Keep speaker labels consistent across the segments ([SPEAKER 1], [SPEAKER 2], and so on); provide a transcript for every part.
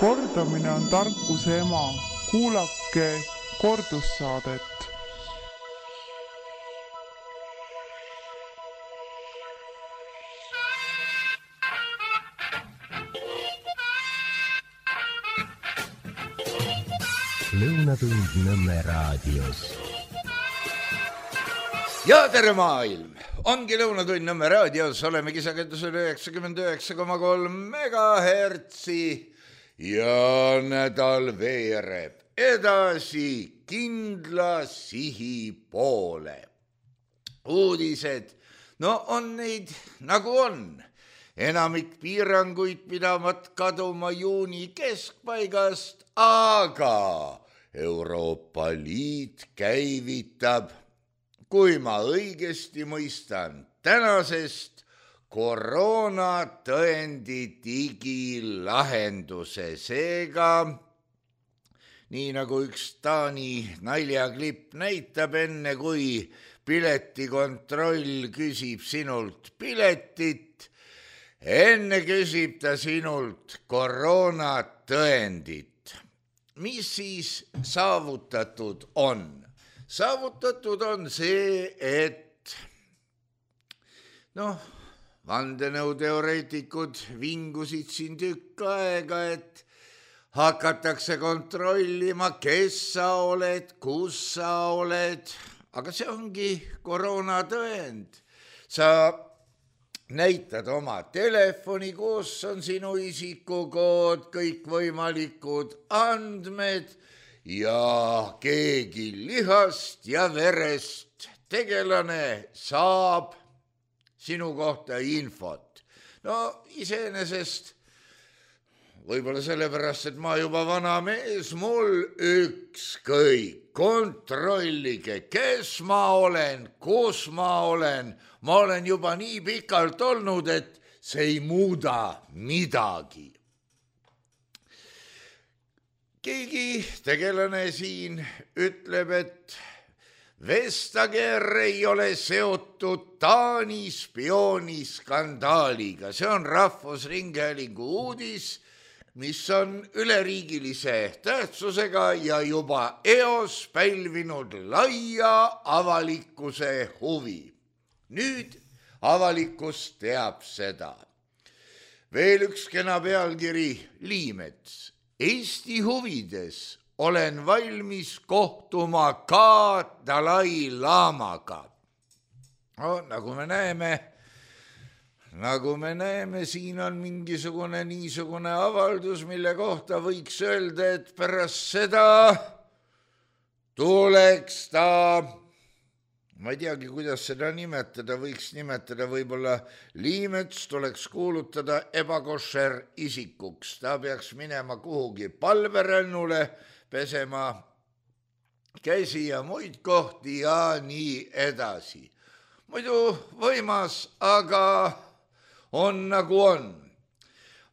[SPEAKER 1] Kordamine on tarkuse ema. Kuulake kordussaadet.
[SPEAKER 2] Lõunatund Nõmme raadios.
[SPEAKER 3] Ja tere maailm! Ongi Lõunatund Nõmme raadios, olemegi sagedusel 99,3 megahertsi ja nädal veereb edasi kindla sihi poole. Uudised, no on neid nagu on. Enamik piiranguid pidavat kaduma juuni keskpaigast, aga Euroopa Liit käivitab, kui ma õigesti mõistan, tänasest koroonatõendi digilahenduse. Seega, nii nagu üks Taani naljaklipp näitab, enne kui piletikontroll küsib sinult piletit, enne küsib ta sinult koroonatõendit. Mis siis saavutatud on? Saavutatud on see, et vandenõuteoreetikud vingusid siin tükk aega, et hakatakse kontrollima, kes sa oled, kus sa oled, aga see ongi koroonatõend. Sa näitad oma telefoni, kus on sinu isikukood, kõikvõimalikud andmed ja keegi lihast ja verest tegelane saab sinu kohta infot. No iseenesest, võib-olla sellepärast, et ma juba vana mees, mul ükskõik, kontrollige, kes ma olen, kus ma olen juba nii pikalt olnud, et see ei muuda midagi. Keegi tegelane siin ütleb, et Vestager ei ole seotud Taani spiooniskandaaliga. See on Rahvusringhäälingu uudis, mis on üleriigilise tähtsusega ja juba eos pälvinud laia avalikkuse huvi. Nüüd avalikkus teab seda. Veel üks kena pealkiri Liimets. Eesti huvides olen valmis kohtuma ka Dalai Lamaga. No, nagu me näeme, siin on mingisugune niisugune avaldus, mille kohta võiks öelda, et pärast seda tuleks ta, ma ei teagi, kuidas seda nimetada, võiks nimetada võib-olla Liimets, tuleks kuulutada ebakošer isikuks. Ta peaks minema kuhugi palverännule, pesema käsi ja muid kohti ja nii edasi. Muidu võimas, aga on nagu on.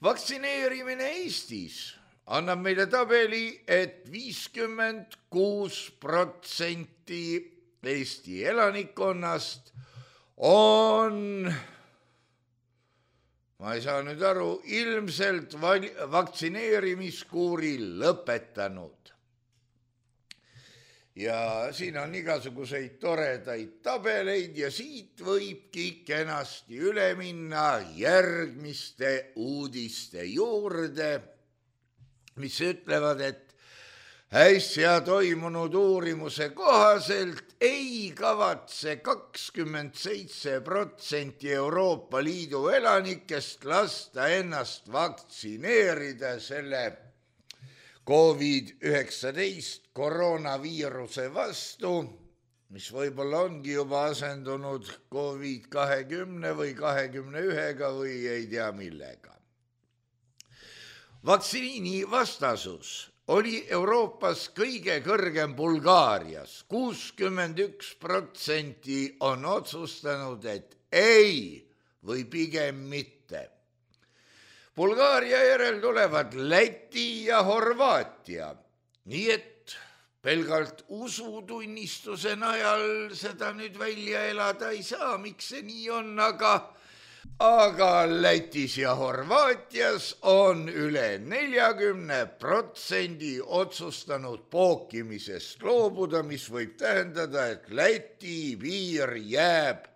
[SPEAKER 3] Vaktsineerimine Eestis annab meile tabeli, et 56% Eesti elanikkonnast on, ma ei saa nüüd aru, ilmselt vaktsineerimiskuuri lõpetanud. Ja siin on igasuguseid toredaid tabeleid ja siit võibki kenasti üle minna järgmiste uudiste juurde, mis ütlevad, et äsja toimunud uurimuse kohaselt ei kavatse 27% Euroopa Liidu elanikest lasta ennast vaktsineerida selle COVID-19 koroonaviiruse vastu, mis võib-olla ongi juba asendunud COVID-20 või 21 või ei tea millega. Vaktsiini vastasus oli Euroopas kõige kõrgem Bulgaarias. 61% on otsustanud, et ei või pigem mitte. Bulgaaria järel tulevad Läti ja Horvaatia. Nii et pelgalt usutunnistuse najal seda nüüd välja elada ei saa, miks see nii on, aga aga Lätis ja Horvaatias on üle 40% otsustanud pookimisest loobuda, mis võib tähendada, et Läti piir jääb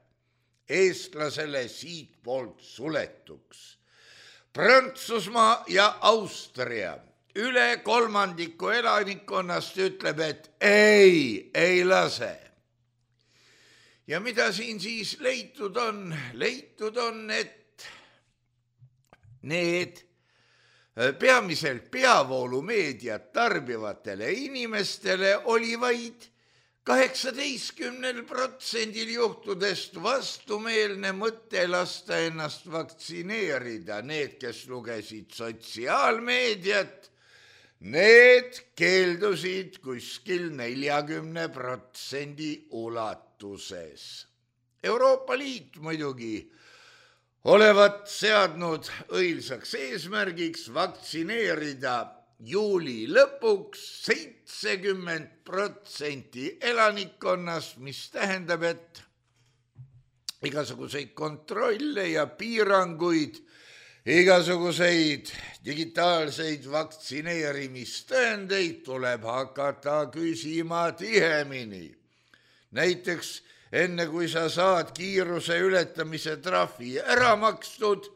[SPEAKER 3] eestlasele siitpoolt suletuks. Prantsusmaa ja Austria üle 1/3 elanikkonnast ütleb, et ei lase. Ja mida siin siis leitud on? Leitud on, et need peamiselt peavoolumeediat tarbivatele inimestele oli vaid 18% juhtudest vastumeelne mõte lasta ennast vaktsineerida. Need, kes lugesid sotsiaalmeediat, need keeldusid kuskil 40% ulatuses. Euroopa Liit muidugi olevat seadnud õilsaks eesmärgiks vaktsineerida juuli lõpuks 70% elanikkonnast, mis tähendab, et igasuguseid kontrolle ja piiranguid, igasuguseid digitaalseid vaktsineerimistõendeid tuleb hakata küsima tihemini. Näiteks enne kui sa saad kiiruse ületamise trahvi ära makstud,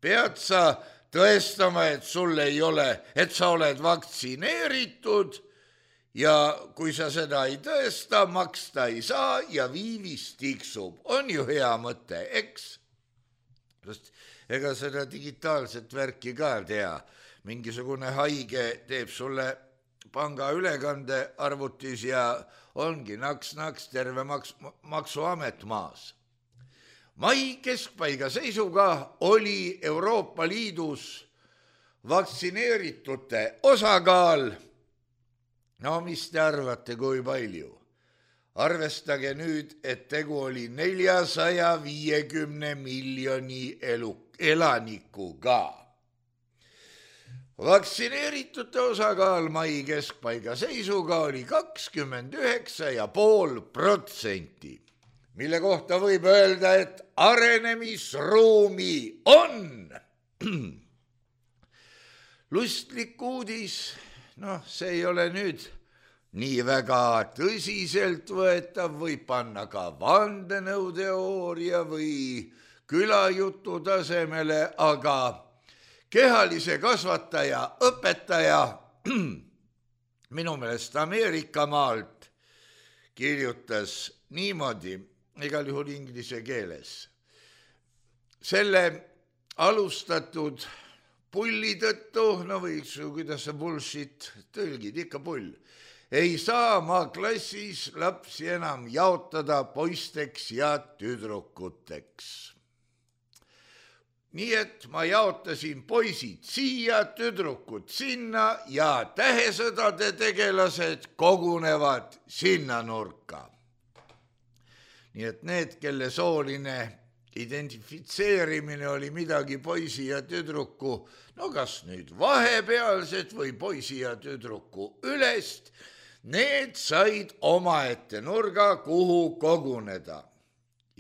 [SPEAKER 3] pead sa tõestama, et sul ei ole, et sa oled vaktsineeritud ja kui sa seda ei tõesta, maksta ei saa ja viivis tiksub. On ju hea mõte, eks? Sest ega seda digitaalset värki ka tea. Mingisugune haige teeb sulle pangaülekande arvutis ja ongi naks-naks terve maksuamet maas. Mai keskpaiga seisuga oli Euroopa Liidus vaktsineeritute osakaal, no mis te arvate, kui palju? Arvestage nüüd, et tegu oli 450 miljoni elanikuga. Vaktsineeritute osakaal mai keskpaiga seisuga oli 29,5%. Mille kohta võib öelda, et arenemisruumi on. Lustlik uudis, see ei ole nüüd nii väga tõsiselt võetav, võib panna ka vandenõuteooria või külajutu tasemele, aga kehalise kasvataja, õpetaja, minu meelest Ameerika maalt, kirjutas niimoodi, igal juhul inglise keeles. Selle alustatud pulli tõttu, võiks ju, kuidas see bullshit tõlgid, ikka pull, ei saa ma klassis lapsi enam jaotada poisteks ja tüdrukuteks. Nii et ma jaotasin poisid siia, tüdrukud sinna ja tähesõdade tegelased kogunevad sinna nurka. Nii et need, kelle sooline identifitseerimine oli midagi poisi ja tüdruku, kas nüüd vahepealsed või poisi ja tüdruku ülest, need said omaette nurga, kuhu koguneda.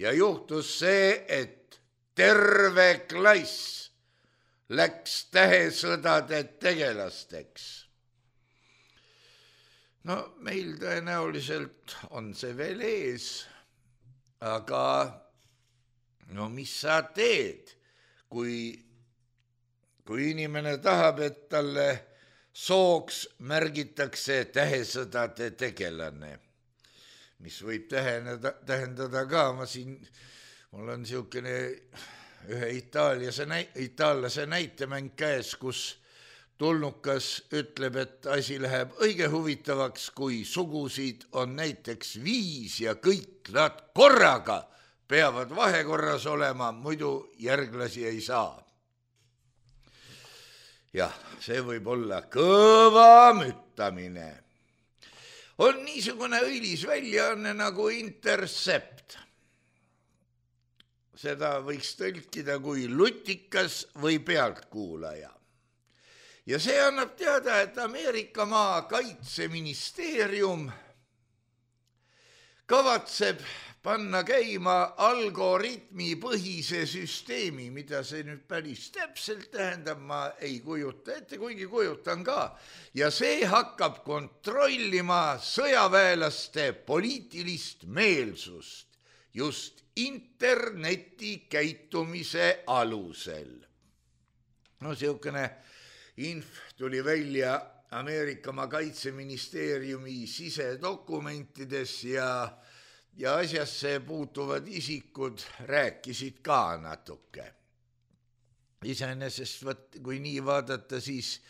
[SPEAKER 3] Ja juhtus see, et terve klass läks tähesõdade tegelasteks. Meil tõenäoliselt on see veel ees, aga mis sa teed, kui inimene tahab, et talle sooks märgitakse tähesõdade tegelane, mis võib tähendada ka, mul on niisugune ühe itaallase näitemäng käes, kus tulnukas ütleb, et asi läheb õige huvitavaks, kui sugusid on näiteks 5 ja kõik nad korraga peavad vahekorras olema, muidu järglasi ei saa. Jah, see võib olla kõva müttamine. On niisugune õilis väljaanne nagu Intercept. Seda võiks tõlkida kui lutikas või pealtkuulaja. Ja see annab teada, et Ameerika maa kaitseministeerium kavatseb panna käima algoritmi põhise süsteemi, mida see nüüd päris täpselt tähendab, ma ei kujuta ette, kuigi kujutan ka. Ja see hakkab kontrollima sõjaväelaste poliitilist meelsust just interneti käitumise alusel. No siukene inf tuli välja Ameerikamaa kaitseministeeriumi sisedokumentides ja asjasse puutuvad isikud rääkisid ka natuke. Iseenesest, kui nii vaadata, siis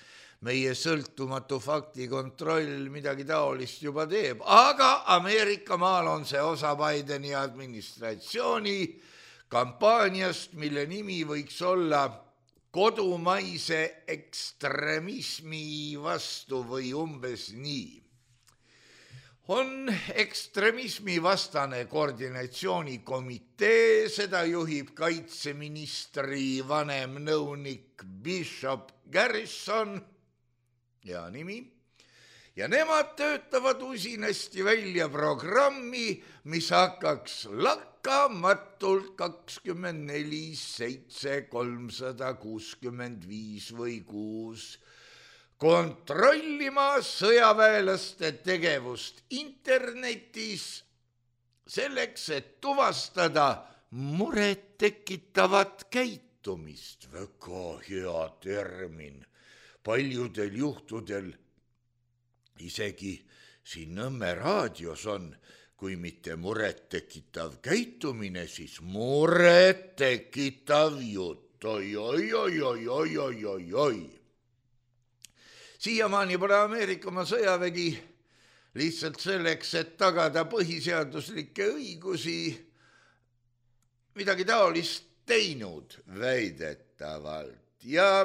[SPEAKER 3] meie sõltumatu faktikontroll midagi taolist juba teeb, aga Ameerikamaal on see osa Bideni administratsiooni kampaaniast, mille nimi võiks olla kodumaise ekstremismi vastu või umbes nii. On ekstremismi vastane koordinatsioonikomitee, seda juhib kaitseministri vanem nõunik Bishop Garrison, hea nimi, ja nemad töötavad usinasti välja programmi, mis hakkaks lakkamatult 24/7/365 või 6 kontrollima sõjaväelaste tegevust internetis selleks, et tuvastada muret tekitavat käitumist. Väga hea termin. Paljudel juhtudel, isegi siin Nõmme raadios on, kui mitte muret tekitav käitumine, siis muret tekitav jutt. Oi. Siiamaani pole Ameerikamaa sõjavägi lihtsalt selleks, et tagada põhiseaduslikke õigusi, midagi taolist teinud väidetavalt. Ja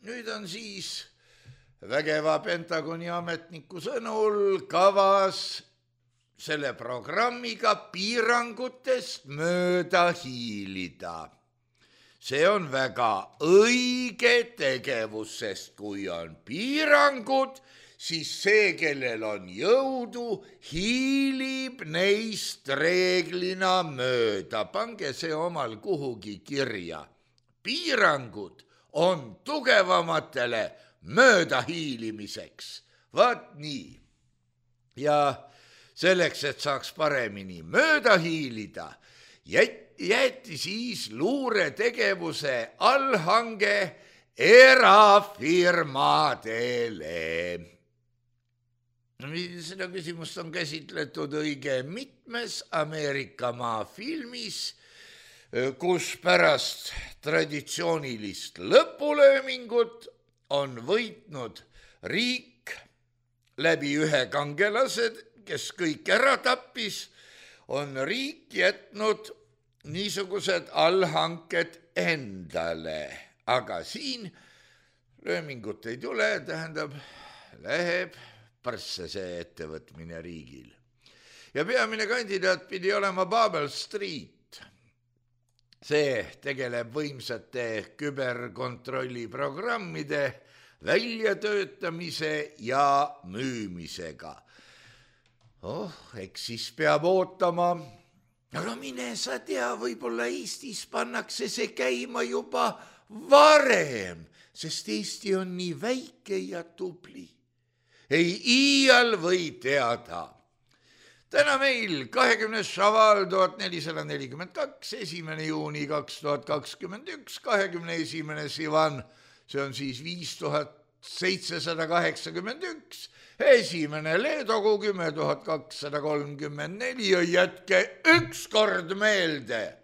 [SPEAKER 3] nüüd on siis vägeva Pentagoni ametniku sõnul kavas selle programmiga piirangutest mööda hiilida. See on väga õige tegevus, sest kui on piirangud, siis see, kellel on jõudu, hiilib neist reeglina mööda. Pange see omal kuhugi kirja. Piirangud on tugevamatele mööda hiilimiseks. Vaat nii. Ja selleks, et saaks paremini mööda hiilida, jäeti siis luuretegevuse allhange erafirmadele. Seda küsimust on käsitletud õige mitmes Ameerikamaa filmis, kus pärast traditsioonilist lõpulöömingut on võitnud riik läbi ühe kangelase, kes kõik ära tappis, on riik jätnud niisugused allhanked endale. Aga siin löömingut ei tule, tähendab, läheb parsse see ettevõtmine riigil. Ja peamine kandidaat pidi olema Babel Street. See tegeleb võimsate küberkontrolliprogrammide väljatöötamise ja müümisega. Eks siis peab ootama. Aga mine sa tea, võib-olla Eestis pannakse see käima juba varem, sest Eesti on nii väike ja tubli. Ei iial või teada. Täna meil 20. šaval 1442, 1. juuni 2021, 21. sivan, see on siis 5781, 1. leedogu 10.234 ja jätke ükskord meelde,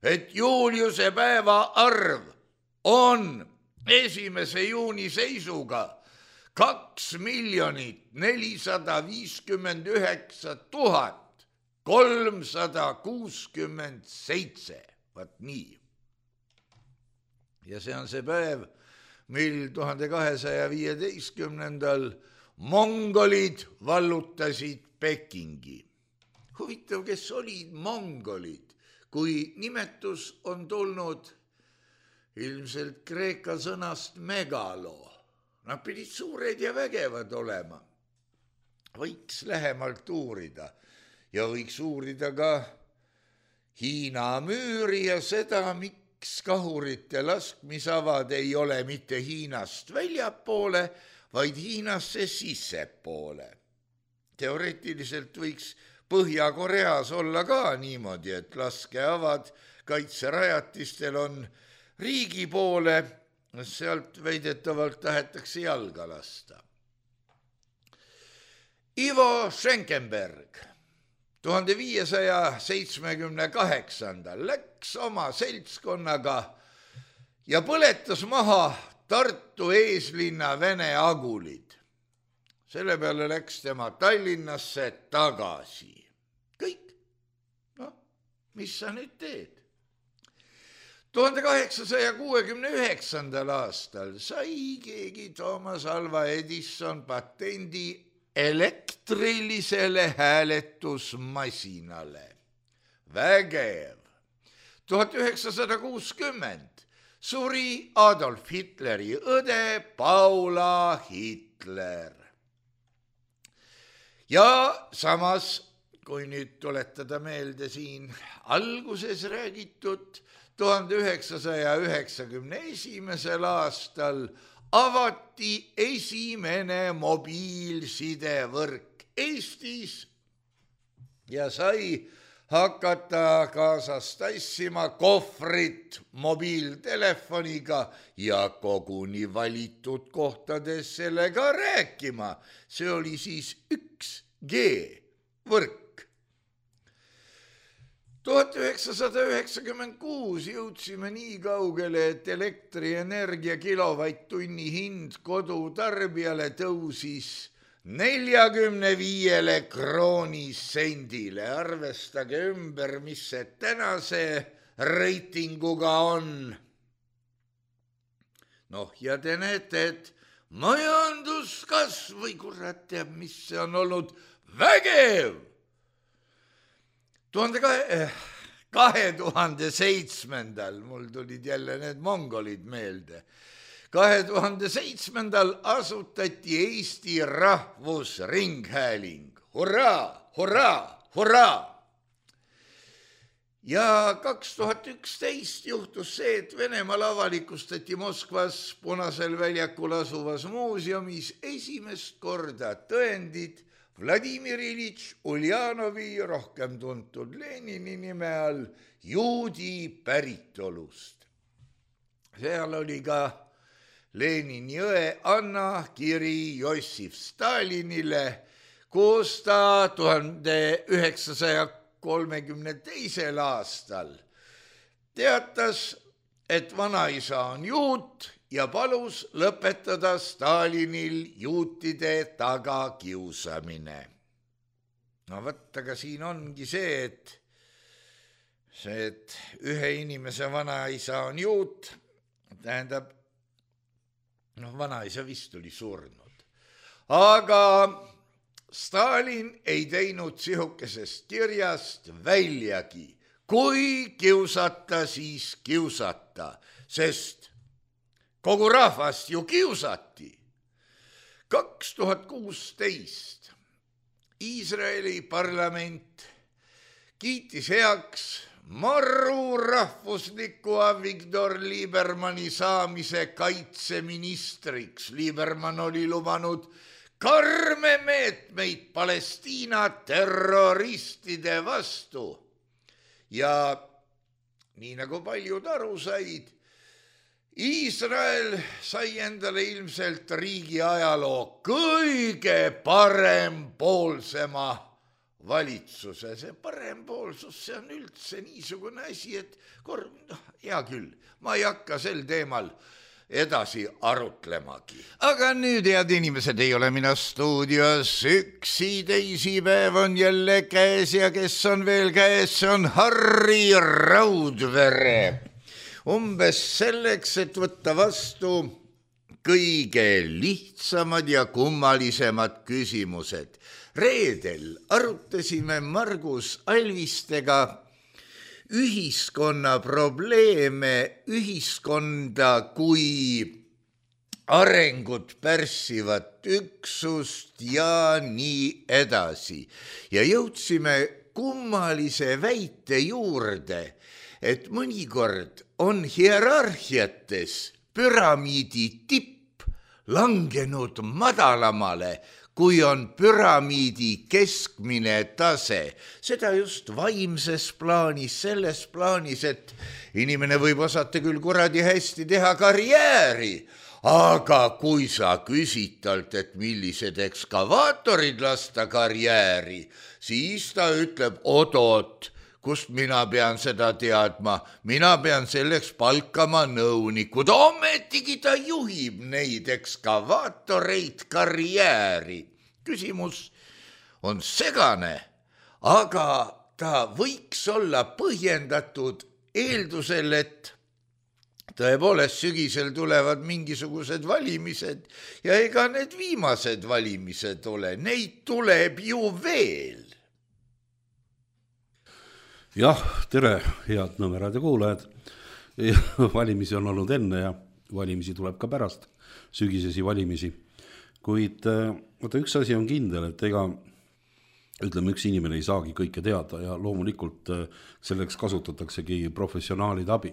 [SPEAKER 3] et Juliuse päeva arv on 1. juuni seisuga 2,459,367. Vaat nii. Ja see on see päev, mil 1215. mongolid vallutasid Pekingi. Huvitav, kes olid mongolid, kui nimetus on tulnud ilmselt kreeka sõnast megalo. Nad pidid suured ja vägevad olema. Võiks lähemalt uurida ja võiks uurida ka Hiina müüri ja seda, miks kahurite laskmisavad ei ole mitte Hiinast väljapoole, vaid Hiinasse sissepoole. Teoreetiliselt võiks Põhja-Koreas olla ka niimoodi, et laskeavad kaitserajatistel on riigi poole, sealt väidetavalt tahetakse jalga lasta. Ivo Schenkenberg 1578. läks oma seltskonnaga ja põletas maha Tartu eeslinna Vene agulid. Selle peale läks tema Tallinnasse tagasi. Kõik. Mis sa nüüd teed? 1869. aastal sai keegi Thomas Alva Edison patendi elektrilisele hääletusmasinale. Vägev. 1960 suri Adolf Hitleri õde Paula Hitler. Ja samas, kui nüüd tuletada meelde siin alguses räägitud, 1991. aastal avati esimene mobiilsidevõrk Eestis ja sai hakata kaasas tassima kohvrit mobiiltelefoniga ja koguni valitud kohtades sellega rääkima. See oli siis 1G-võrk. 1996 jõudsime nii kaugele, et elektrienergia kilovatt-tunni hind kodutarbijale tõusis 45 kroonisendile. Arvestage ümber, mis see tänase reitinguga on. Ja te näete, et majanduskasv või kurat teab, mis see on olnud vägev. 2007. mul tulid jälle need mongolid meelde. 2007. asutati Eesti Rahvusringhääling. Hurraa, hurraa, hurraa! Ja 2011 juhtus see, et Venemaal avalikustati Moskvas Punasel väljakul asuvas muuseumis esimest korda tõendid Vladimir Ilitš Uljanovi, rohkem tuntud Lenini nime all, juudi päritolust. Seal oli ka Lenini õe Anna kiri Jossif Stalinile, kus ta 1932. aastal teatas, et vanaisa on juut ja palus lõpetada Stalinil juutide tagakiusamine. Aga siin ongi see, et ühe inimese vanaisa on juut, tähendab, vanaisa vist oli surnud. Aga Stalin ei teinud sihukesest kirjast väljagi. Kui kiusata, siis kiusata, sest kogu rahvast ju kiusati. 2016 Iisraeli parlament kiitis heaks marru rahvusliku Avigdor Liebermanni saamise kaitseministriks. Liebermann oli lubanud karme meetmeid Palestiina terroristide vastu. Ja nii nagu paljud aru said, Iisrael sai endale ilmselt riigi ajaloo kõige parempoolsema valitsuse. See parempoolsus, see on üldse niisugune asi, et hea küll, ma ei hakka sel teemal edasi arutlemagi. Aga nüüd, head inimesed, ei ole mina stuudios üksi, teisipäev on jälle käes ja kes on veel käes, see on Harri Raudvere. Umbes selleks, et võtta vastu kõige lihtsamad ja kummalisemad küsimused. Reedel arutasime Margus Alvistega ühiskonna probleeme, ühiskonda kui arengut pärssivat üksust ja nii edasi. Ja jõudsime kummalise väite juurde, et mõnikord on hierarhiates püramiidi tipp langenud madalamale, kui on püramiidi keskmine tase. Seda just vaimses plaanis, selles plaanis, et inimene võib osata küll kuradi hästi teha karjääri, aga kui sa küsid talt, et millised ekskavaatorid lasta karjääri, siis ta ütleb, oot, kust mina pean seda teadma, mina pean selleks palkama nõunikud, ometigi ta juhib neid ekskavaatoreid karjääri. Küsimus on segane, aga ta võiks olla põhjendatud eeldusel, et tõepoolest sügisel tulevad mingisugused valimised ja ega need viimased valimised ole, neid tuleb ju veel.
[SPEAKER 4] Jah, tere, head Nõmme raadio kuulajad. Valimisi on olnud enne ja valimisi tuleb ka pärast sügisesi valimisi. Kuid üks asi on kindel, et ega ütleme, üks inimene ei saagi kõike teada ja loomulikult selleks kasutataksegi professionaalide abi.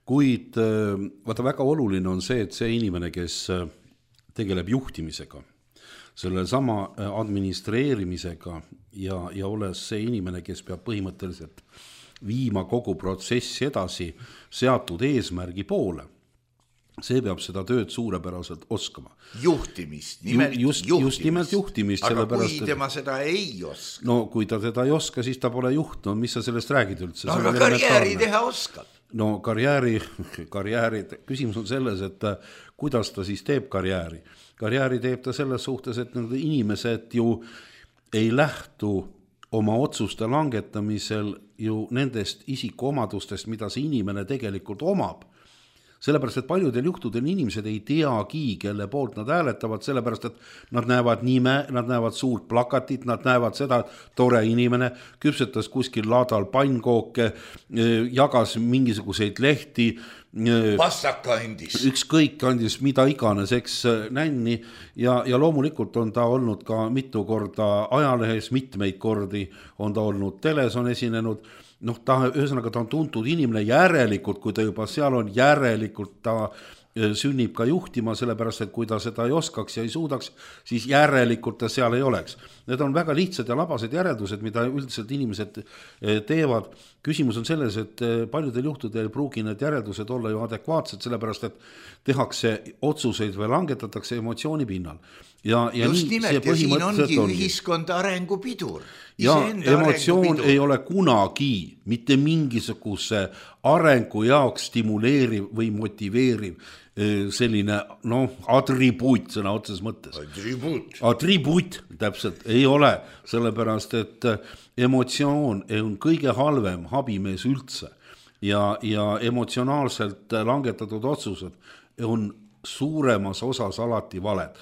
[SPEAKER 4] Kuid väga oluline on see, et see inimene, kes tegeleb juhtimisega, selle sama administreerimisega ja olles see inimene, kes peab põhimõtteliselt viima kogu protsessi edasi seatud eesmärgi poole, see peab seda tööd suurepäraselt oskama.
[SPEAKER 3] Juhtimist,
[SPEAKER 4] just nimelt juhtimist.
[SPEAKER 3] Aga kui tema seda ei oska?
[SPEAKER 4] No kui ta seda ei oska, siis ta pole juht. No mis sa sellest räägid üldse?
[SPEAKER 3] No aga karjääri teha oskab.
[SPEAKER 4] No karjääri, küsimus on selles, et kuidas ta siis teeb karjääri. Karjääri teeb ta selles suhtes, et need inimesed ju ei lähtu oma otsuste langetamisel ju nendest isikuomadustest, mida see inimene tegelikult omab. Sellepärast, et paljudel juhtudel inimesed ei teagi, kelle poolt nad hääletavad, sellepärast, et nad näevad nime, nad näevad suurt plakatit, nad näevad seda, et tore inimene küpsetas kuskil laadal pannkooke, jagas mingisuguseid lehti,
[SPEAKER 3] pastaka andis.
[SPEAKER 4] Ükskõik andis mida iganes, eks nänni ja loomulikult on ta olnud ka mitu korda ajalehes, mitmeid kordi on ta olnud teles, on esinenud. Ühesõnaga ta on tuntud inimene järelikult, kui ta juba seal on, järelikult ta sünnib ka juhtima, sellepärast, et kui ta seda ei oskaks ja ei suudaks, siis järelikult ta seal ei oleks. Need on väga lihtsad ja labased järeldused, mida üldiselt inimesed teevad. Küsimus on selles, et paljudel juhtudel ei pruugi need järeldused olla ju adekvaatsed, sellepärast, et tehakse otsuseid või langetatakse emotsiooni pinnal.
[SPEAKER 3] Just nimelt, ja siin ongi ühiskond arengupidur.
[SPEAKER 4] Ja emotsioon ei ole kunagi mitte mingisuguse arengu jaoks stimuleeriv või motiveeriv selline atribuut sõna otses mõttes. Atribuut täpselt ei ole, sellepärast, et emotsioon on kõige halvem habimees üldse ja emotsionaalselt langetatud otsused on suuremas osas alati valed.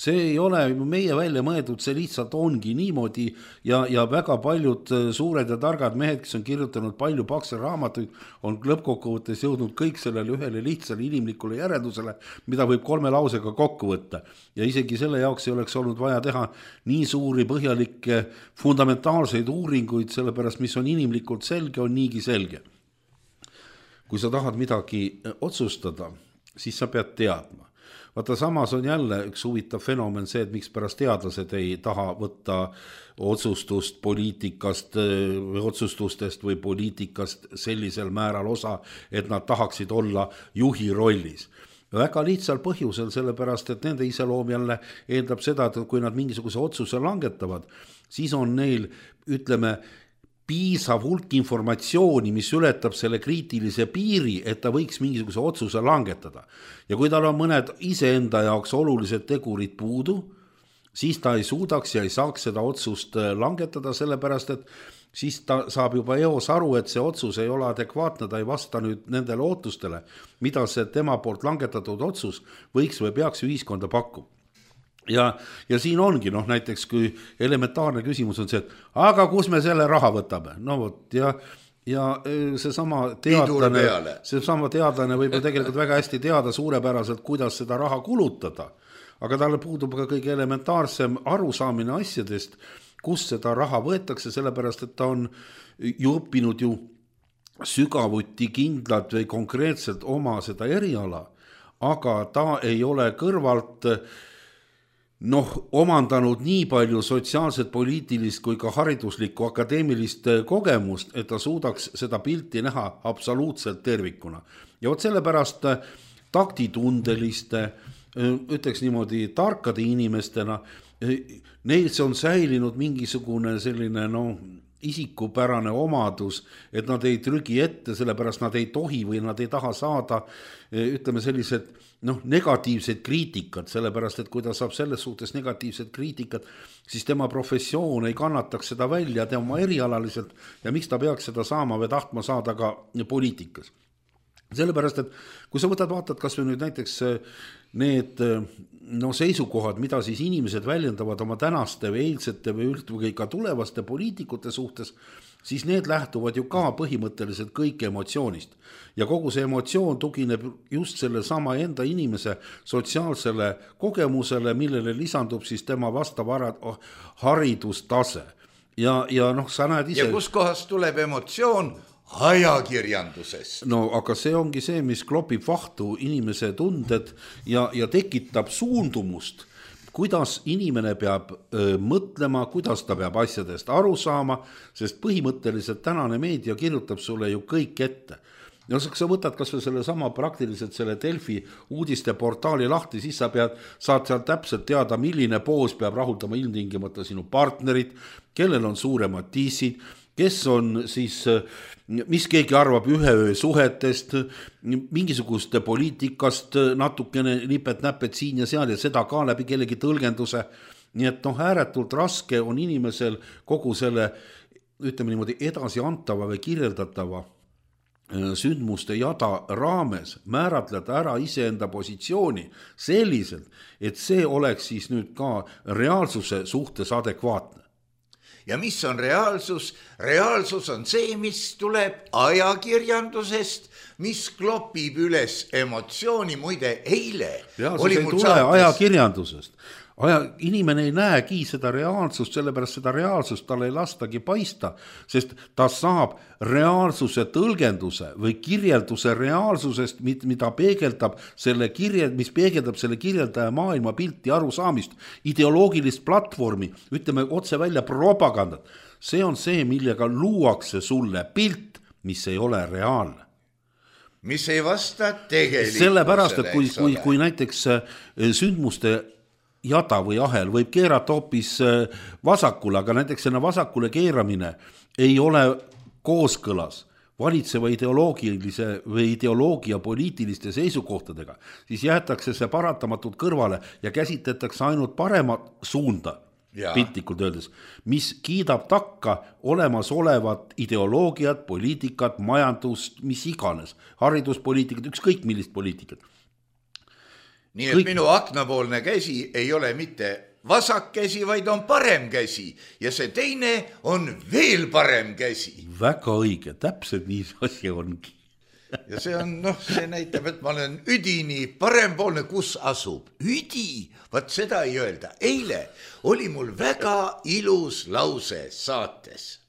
[SPEAKER 4] See ei ole meie välja mõeldud, see lihtsalt ongi niimoodi ja väga paljud suured ja targad mehed, kes on kirjutanud palju pakse raamatuid, on lõppkokkuvõttes jõudnud kõik sellele ühele lihtsale inimlikule järeldusele, mida võib 3 lausega kokku võtta. Ja isegi selle jaoks ei oleks olnud vaja teha nii suuri põhjalikke fundamentaalseid uuringuid, sellepärast mis on inimlikult selge, on niigi selge. Kui sa tahad midagi otsustada, siis sa pead teadma. Vaata, samas on jälle üks huvitav fenomen see, et miks pärast teadlased ei taha võtta otsustust poliitikast või otsustustest või poliitikast sellisel määral osa, et nad tahaksid olla juhi rollis. Väga lihtsal põhjusel, sellepärast, et nende iseloom jälle eeldab seda, et kui nad mingisuguse otsuse langetavad, siis on neil, ütleme, piisav hulk informatsiooni, mis ületab selle kriitilise piiri, et ta võiks mingisuguse otsuse langetada. Ja kui tal on mõned iseenda jaoks olulised tegurid puudu, siis ta ei suudaks ja ei saaks seda otsust langetada, sellepärast, et siis ta saab juba eos aru, et see otsus ei ole adekvaatne, ta ei vasta nüüd nendele ootustele, mida see tema poolt langetatud otsus võiks või peaks ühiskonda pakkuma. Ja siin ongi, näiteks kui elementaarne küsimus on see, et aga kus me selle raha võtame? Ja seesama teadlane võib ju tegelikult väga hästi teada suurepäraselt, kuidas seda raha kulutada, aga talle puudub ka kõige elementaarsem arusaamine asjadest, kus seda raha võetakse, sellepärast et ta on ju õppinud ju sügavuti kindlalt või konkreetselt oma seda eriala, aga ta ei ole kõrvalt omandanud nii palju sotsiaalset, poliitilist kui ka hariduslikku akadeemilist kogemust, et ta suudaks seda pilti näha absoluutselt tervikuna. Ja vot sellepärast taktitundeliste, ütleks niimoodi tarkade inimestena, neil on säilinud mingisugune selline isikupärane omadus, et nad ei trügi ette, sellepärast nad ei tohi või nad ei taha saada, ütleme sellised negatiivsed kriitikat, sellepärast et kui ta saab selles suhtes negatiivsed kriitikat, siis tema professioon ei kannataks seda välja tema erialaliselt ja miks ta peaks seda saama või tahtma saada ka poliitikas. Sellepärast, et kui sa vaatad kas või nüüd näiteks need seisukohad, mida siis inimesed väljendavad oma tänaste või eilsete või ka tulevaste poliitikute suhtes, siis need lähtuvad ju ka põhimõtteliselt kõik emotsioonist. Ja kogu see emotsioon tugineb just selle sama enda inimese sotsiaalsele kogemusele, millele lisandub siis tema vastav haridustase. Ja sa näed ise...
[SPEAKER 3] Ja kus kohast tuleb emotsioon? Ajakirjandusest.
[SPEAKER 4] Aga see ongi see, mis klopib vahtu inimese tunded ja tekitab suundumust, kuidas inimene peab mõtlema, kuidas ta peab asjadest aru saama, sest põhimõtteliselt tänane meedia kirjutab sulle ju kõik ette. Sa võtad kas või selle sama praktiliselt selle Delfi uudisteportaali lahti, siis sa saad seal täpselt teada, milline poos peab rahuldama ilmtingimata sinu partnerit, kellel on suuremad tiisid, kes on siis, mis keegi arvab ühe öö suhetest, mingisuguste poliitikast natukene nipet-näpet siin ja seal ja seda ka läbi kellegi tõlgenduse. Nii et ääretult raske on inimesel kogu selle, ütleme niimoodi, edasi antava või kirjeldatava sündmuste jada raames määratleda ära iseenda positsiooni selliselt, et see oleks siis nüüd ka reaalsuse suhtes adekvaatne.
[SPEAKER 3] Ja mis on reaalsus? Reaalsus on see, mis tuleb ajakirjandusest, mis klopib üles emotsiooni, muide eile.
[SPEAKER 4] Reaalsus ei tule ajakirjandusest. Inimene ei näegi seda reaalsust, sellepärast seda reaalsust tal ei lastagi paista, sest ta saab reaalsuse tõlgenduse või kirjelduse reaalsusest, mida peegeldab mis peegeldab selle kirjeldaja maailma pilti arusaamist, ideoloogilist platvormi, ütleme otse välja propagandat. See on see, millega luuakse sulle pilt, mis ei ole reaalne.
[SPEAKER 3] Mis ei vasta tegelikkusele.
[SPEAKER 4] Sellepärast, et kui näiteks sündmuste jada või ahel võib keerata hoopis vasakule, aga näiteks selle vasakule keeramine ei ole kooskõlas valitseva ideoloogilise või ideoloogia poliitiliste seisukohtadega, siis jäetakse see paratamatult kõrvale ja käsitletakse ainult paremat suunda, piltlikult öeldes, mis kiidab takka olemasolevat ideoloogiat, poliitikat, majandust, mis iganes, hariduspoliitikat, ükskõik millist poliitikat.
[SPEAKER 3] Nii et minu aknapoolne käsi ei ole mitte vasak käsi, vaid on parem käsi ja see teine on veel parem käsi.
[SPEAKER 4] Väga õige, täpselt nii asi ongi.
[SPEAKER 3] Ja see on, see näitab, et ma olen üdini parempoolne, kus asub. Üdi, vaat seda ei öelda. Eile oli mul väga ilus lause saates.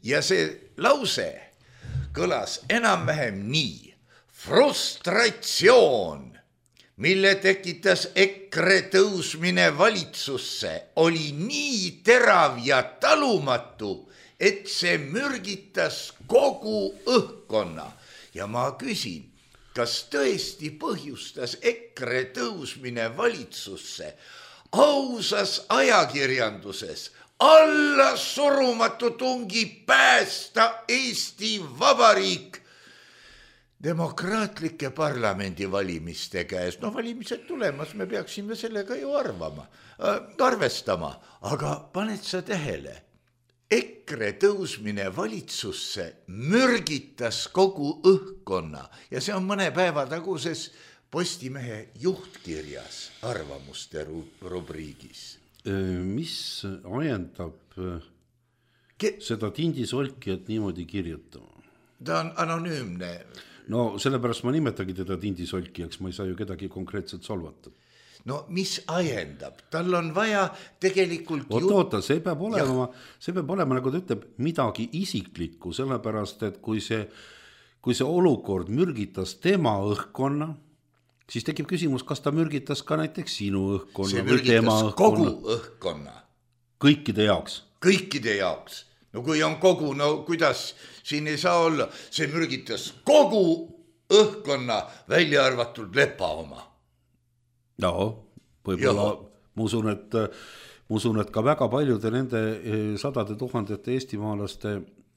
[SPEAKER 3] Ja see lause kõlas enam-vähem nii. Frustratsioon, mille tekitas EKRE tõusmine valitsusse, oli nii terav ja talumatu, et see mürgitas kogu õhkkonna. Ja ma küsin, kas tõesti põhjustas EKRE tõusmine valitsusse ausas ajakirjanduses alla surumatu tungi päästa Eesti Vabariik demokraatlike parlamendivalimiste käes. Valimised tulemas, me peaksime sellega ju arvestama. Aga paned sa tähele, EKRE tõusmine valitsusse mürgitas kogu õhkkonna ja see on mõne päeva taguses Postimehe juhtkirjas arvamuste rubriigis.
[SPEAKER 4] Mis ajendab seda tindisolkijat niimoodi kirjutama?
[SPEAKER 3] Ta on anonüümne.
[SPEAKER 4] Sellepärast ma nimetagi teda tindisolkijaks, ma ei saa ju kedagi konkreetselt solvata.
[SPEAKER 3] no mis ajendab, tal on vaja tegelikult
[SPEAKER 4] oota, see peab olema, nagu ta ütleb, midagi isiklikku, sellepärast, et kui see olukord mürgitas tema õhkkonna, siis tekib küsimus, kas ta mürgitas ka näiteks sinu õhkkonna.
[SPEAKER 3] See mürgitas kogu õhkkonna.
[SPEAKER 4] Kõikide jaoks. No kui on kogu, no kuidas siin ei saa olla, see mürgitas kogu õhkkonna, välja arvatud lepa oma. No, võib-olla ma usun, et ka väga paljude nende sadade tuhandete eestimaalaste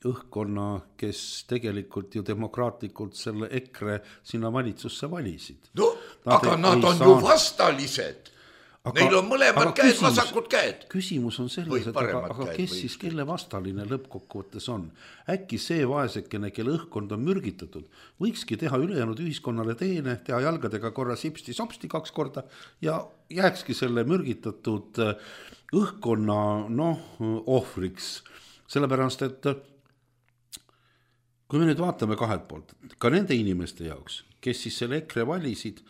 [SPEAKER 4] õhkkonna, kes tegelikult ju demokraatlikult selle EKRE sinna valitsusse valisid.
[SPEAKER 3] No, aga nad on ju vastalised. Neil on mõlemad käed, vasakud käed.
[SPEAKER 4] Küsimus on selles, et aga kes siis kelle vastaline lõppkokkuvõttes on? Äkki see vaesekene, kelle õhkkond on mürgitatud, võikski teha ülejäänud ühiskonnale teene, teha jalgadega korra sipsti-sopsti 2 korda ja jääkski selle mürgitatud õhkkonna ohvriks. Sellepärast, et kui me nüüd vaatame kahelt poolt, ka nende inimeste jaoks, kes siis selle EKRE valisid,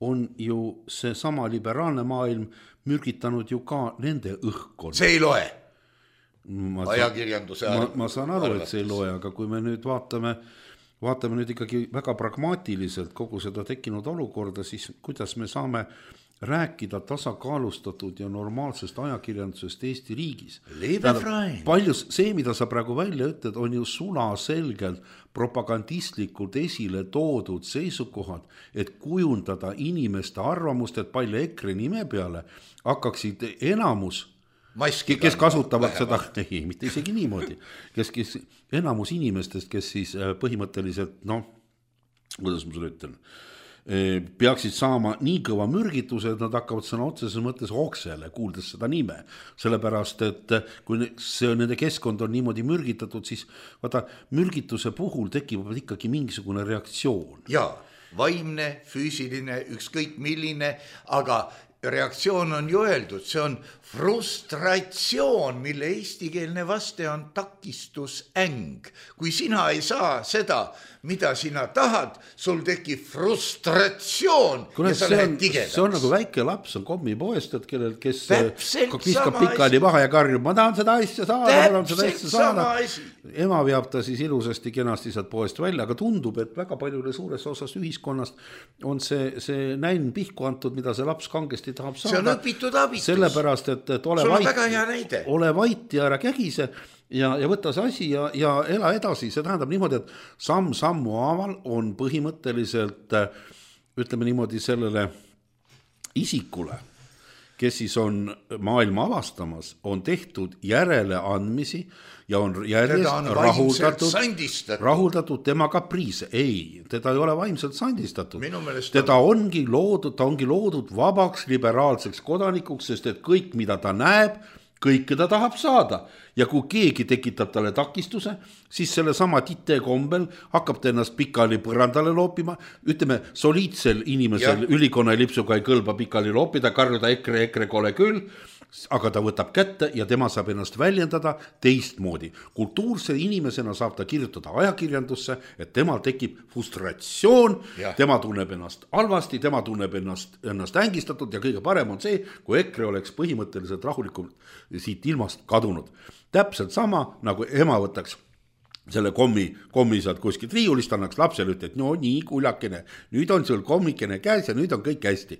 [SPEAKER 4] on ju see sama liberaalne maailm mürgitanud ju ka nende õhkkonna.
[SPEAKER 3] See ei loe. Ajakirjanduse
[SPEAKER 4] ma saan aru, et see ei loe, aga kui me nüüd vaatame nüüd ikkagi väga pragmaatiliselt kogu seda tekkinud olukorda, siis kuidas me saame rääkida tasakaalustatud ja normaalsest ajakirjandusest Eesti riigis. Paljus see, mida sa praegu välja ütled, on ju sulaselgelt propagandistlikult esile toodud seisukohad, et kujundada inimeste arvamust, et palju EKRE nime peale hakkaksid enamus, kes kasutavad seda, mitte isegi niimoodi, kes enamus inimestest, kes siis põhimõtteliselt, kuidas ma sulle ütlen, peaksid saama nii kõva mürgituse, et nad hakkavad sõna otseses mõttes oksele, kuuldes seda nime. Sellepärast, et kui see nende keskkond on niimoodi mürgitatud, siis vaata, mürgituse puhul tekib ikkagi mingisugune reaktsioon.
[SPEAKER 3] Jaa, vaimne, füüsiline, ükskõik milline, aga reaktsioon on ju öeldud, see on frustratsioon, mille eestikeelne vaste on takistusäng. Kui sina ei saa seda, mida sina tahad, sul tekib frustratsioon ja sa lähed tigedaks.
[SPEAKER 4] See on nagu väike laps on kommipoest, kes viskab pikali maha ja karjub, ma tahan seda asja saada. Ema veab ta siis ilusasti kenasti sealt poest välja, aga tundub, et väga paljule suures osas ühiskonnast on see näin pihku antud, mida see laps kangesti tahab saada.
[SPEAKER 3] See on õpitud abitus.
[SPEAKER 4] Sellepärast, et ole vait ja ära kägise ja võtta see asi ja ela edasi. See tähendab niimoodi, et sammu haaval on põhimõtteliselt, ütleme niimoodi, sellele isikule, kes siis on maailma avastamas, on tehtud järeleandmisi ja on järjest rahuldatud tema kapriise. Ei, teda ei ole vaimselt sandistatud. Teda ongi loodud vabaks liberaalseks kodanikuks, sest et kõik, mida ta näeb, kõike ta tahab saada. Ja kui keegi tekitab talle takistuse, siis selle sama tite kombel hakkab ta ennast pikali põrandale loopima. Ütleme, soliidsel inimesel ülikonna lipsuga ei kõlba pikali loopida, karjuda EKRE kole küll, aga ta võtab kätte ja tema saab ennast väljendada teistmoodi. Kultuurse inimesena saab ta kirjutada ajakirjandusse, et temal tekib frustratsioon, tema tunneb ennast halvasti, tema tunneb ennast ängistatud ja kõige parem on see, kui EKRE oleks põhimõtteliselt rahulikult siit ilmast kadunud. Täpselt sama, nagu ema võtaks selle kommi saad kuskilt riiulist, annaks lapsele ütled, no nii kuljakene, nüüd on sul kommikene käes ja nüüd on kõik hästi.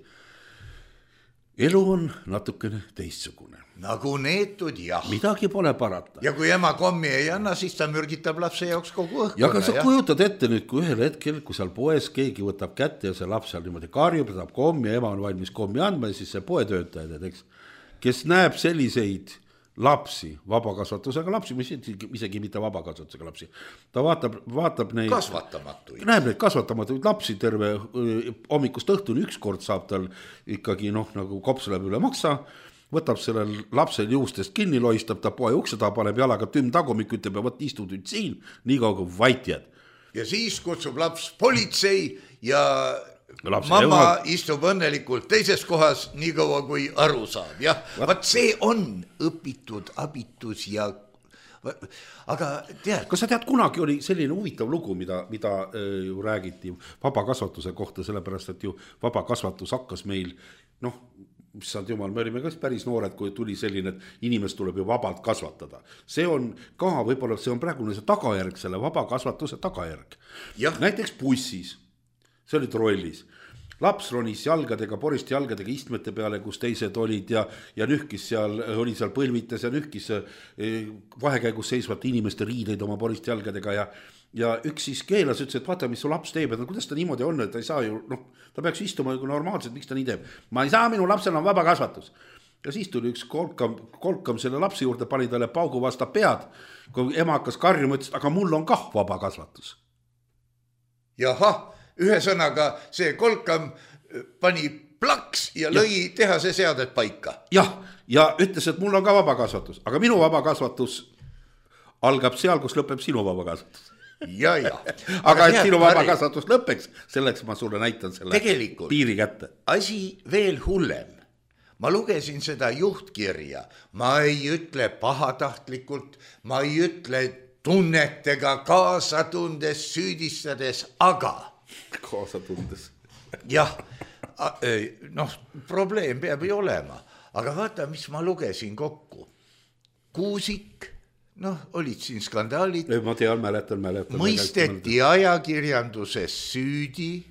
[SPEAKER 4] Elu on natukene teistsugune.
[SPEAKER 3] Nagu neetud, jah.
[SPEAKER 4] Midagi pole parata.
[SPEAKER 3] Ja kui ema kommi ei anna, siis ta mürgitab lapse jaoks kogu õhkkonna.
[SPEAKER 4] Ja aga sa kujutad ette nüüd, kui ühel hetkel, kui seal poes keegi võtab kätte ja see laps seal niimoodi karjub, saab kommi ja ema on valmis kommi andma ja siis see poetöötajad, kes näeb selliseid lapsi, vabakasvatusega lapsi, isegi mitte vabakasvatusega lapsi. Ta vaatab neid näeb neid kasvatamatuid lapsi terve hommikust õhtuni, ükskord saab tal ikkagi nagu kops läheb üle maksa, võtab sellel lapsel juustest kinni, loistab ta poe ukse taha, paneb jalaga tümm tagumik, ütleb ja võt istud nüüd siin, nii kaua kui vait jääd.
[SPEAKER 3] Ja siis kutsub laps politsei ja mamma istub õnnelikult teises kohas nii kaua kui aru saab. Jah, vaat see on õpitud abitus ja aga tead.
[SPEAKER 4] Kas sa tead, kunagi oli selline huvitav lugu, mida ju räägiti vabakasvatuse kohta, sellepärast, et ju vabakasvatus hakkas meil noh, issand jumal, me olime ka päris noored, kui tuli selline, et inimest tuleb ju vabalt kasvatada. See on ka, võib-olla see on praegune see tagajärg, selle vaba kasvatuse tagajärg. Näiteks bussis, see oli trollis, laps ronis jalgadega, porist jalgadega istmete peale, kus teised olid ja nühkis seal, oli seal põlvites ja nühkis vahekäigus seisvate inimeste riideid oma porist jalgadega ja üks siis keelas, ütles, et vaata, mis su laps teeb, et kuidas ta niimoodi on, et ta ei saa ju, noh, ta peaks istuma normaalselt, miks ta nii teeb. Ma ei saa, minu lapsel on vaba kasvatus. Ja siis tuli üks kolkam selle lapsi juurde, pani talle paugu vasta pead, kui ema hakkas karjuma, ütles, aga mul on kah vaba kasvatus.
[SPEAKER 3] Jahah, ühe sõnaga see kolkam pani plaks ja lõi tehase seadet paika.
[SPEAKER 4] Ja ütles, et mul on ka vaba kasvatus, aga minu vaba kasvatus algab seal, kus lõpeb sinu vaba kasvatus.
[SPEAKER 3] Ja.
[SPEAKER 4] Aga et sinu vaba kasvatus lõpeks, selleks ma sulle näitan selle
[SPEAKER 3] tegelikult
[SPEAKER 4] piiri kätte.
[SPEAKER 3] Asi veel hullem. Ma lugesin seda juhtkirja. Ma ei ütle pahatahtlikult, ma ei ütle tunnetega kaasatundes, süüdistades, aga...
[SPEAKER 4] Kaasatundes.
[SPEAKER 3] Jah, noh, probleem peab ju olema. Aga vaata, mis ma lugesin kokku. Kuusik... noh, olid siin skandaalid.
[SPEAKER 4] Ma tean, mäletan.
[SPEAKER 3] Mõisteti ajakirjanduses süüdi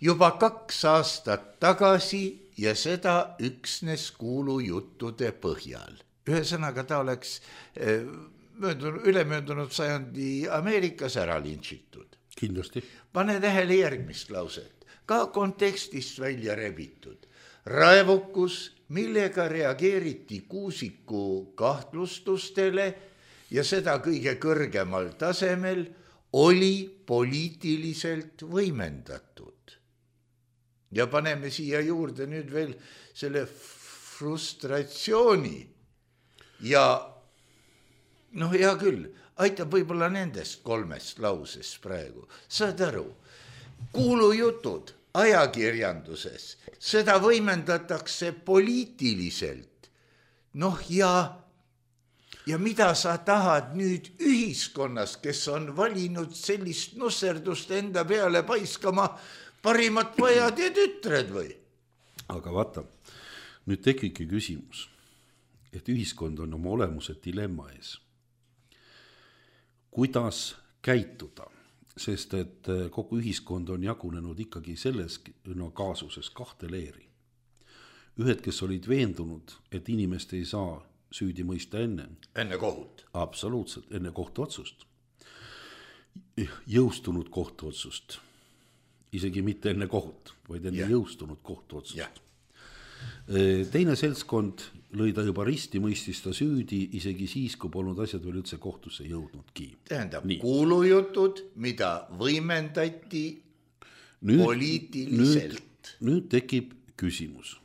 [SPEAKER 3] juba 2 aastat tagasi ja seda üksnes kuulujuttude põhjal. Ühesõnaga ta oleks ülemöödunud sajandi Ameerikas ära lintšitud.
[SPEAKER 4] Kindlasti.
[SPEAKER 3] Pane tähele järgmist lauset, ka kontekstist välja rebitud. Raevukus, millega reageeriti Kuusiku kahtlustustele ja seda kõige kõrgemal tasemel, oli poliitiliselt võimendatud. Ja paneme siia juurde nüüd veel selle frustratsiooni. Ja noh, hea küll, aitab võib-olla nendest 3 lausest praegu. Saad aru, kuulujutud ajakirjanduses, seda võimendatakse poliitiliselt. Noh ja mida sa tahad nüüd ühiskonnas, kes on valinud sellist nusserdust enda peale paiskama parimat pojad ja tütred või?
[SPEAKER 4] Aga vaata, nüüd tekibki küsimus, et ühiskond on oma olemuse dilemma ees. Kuidas käituda? Sest et kogu ühiskond on jagunenud ikkagi selles kaasuses 2 leeri. Ühed, kes olid veendunud, et inimest ei saa süüdi mõista enne
[SPEAKER 3] kohut.
[SPEAKER 4] Absoluutselt, enne kohtuotsust. Jõustunud kohtuotsust. Isegi mitte enne kohut, vaid enne jõustunud kohtuotsust. Teine seltskond lõi ta juba risti, mõistis ta süüdi, isegi siis, kui polnud asjad veel üldse kohtusse jõudnudki.
[SPEAKER 3] Tähendab, kuulujutud, mida võimendati poliitiliselt.
[SPEAKER 4] Nüüd tekib küsimus.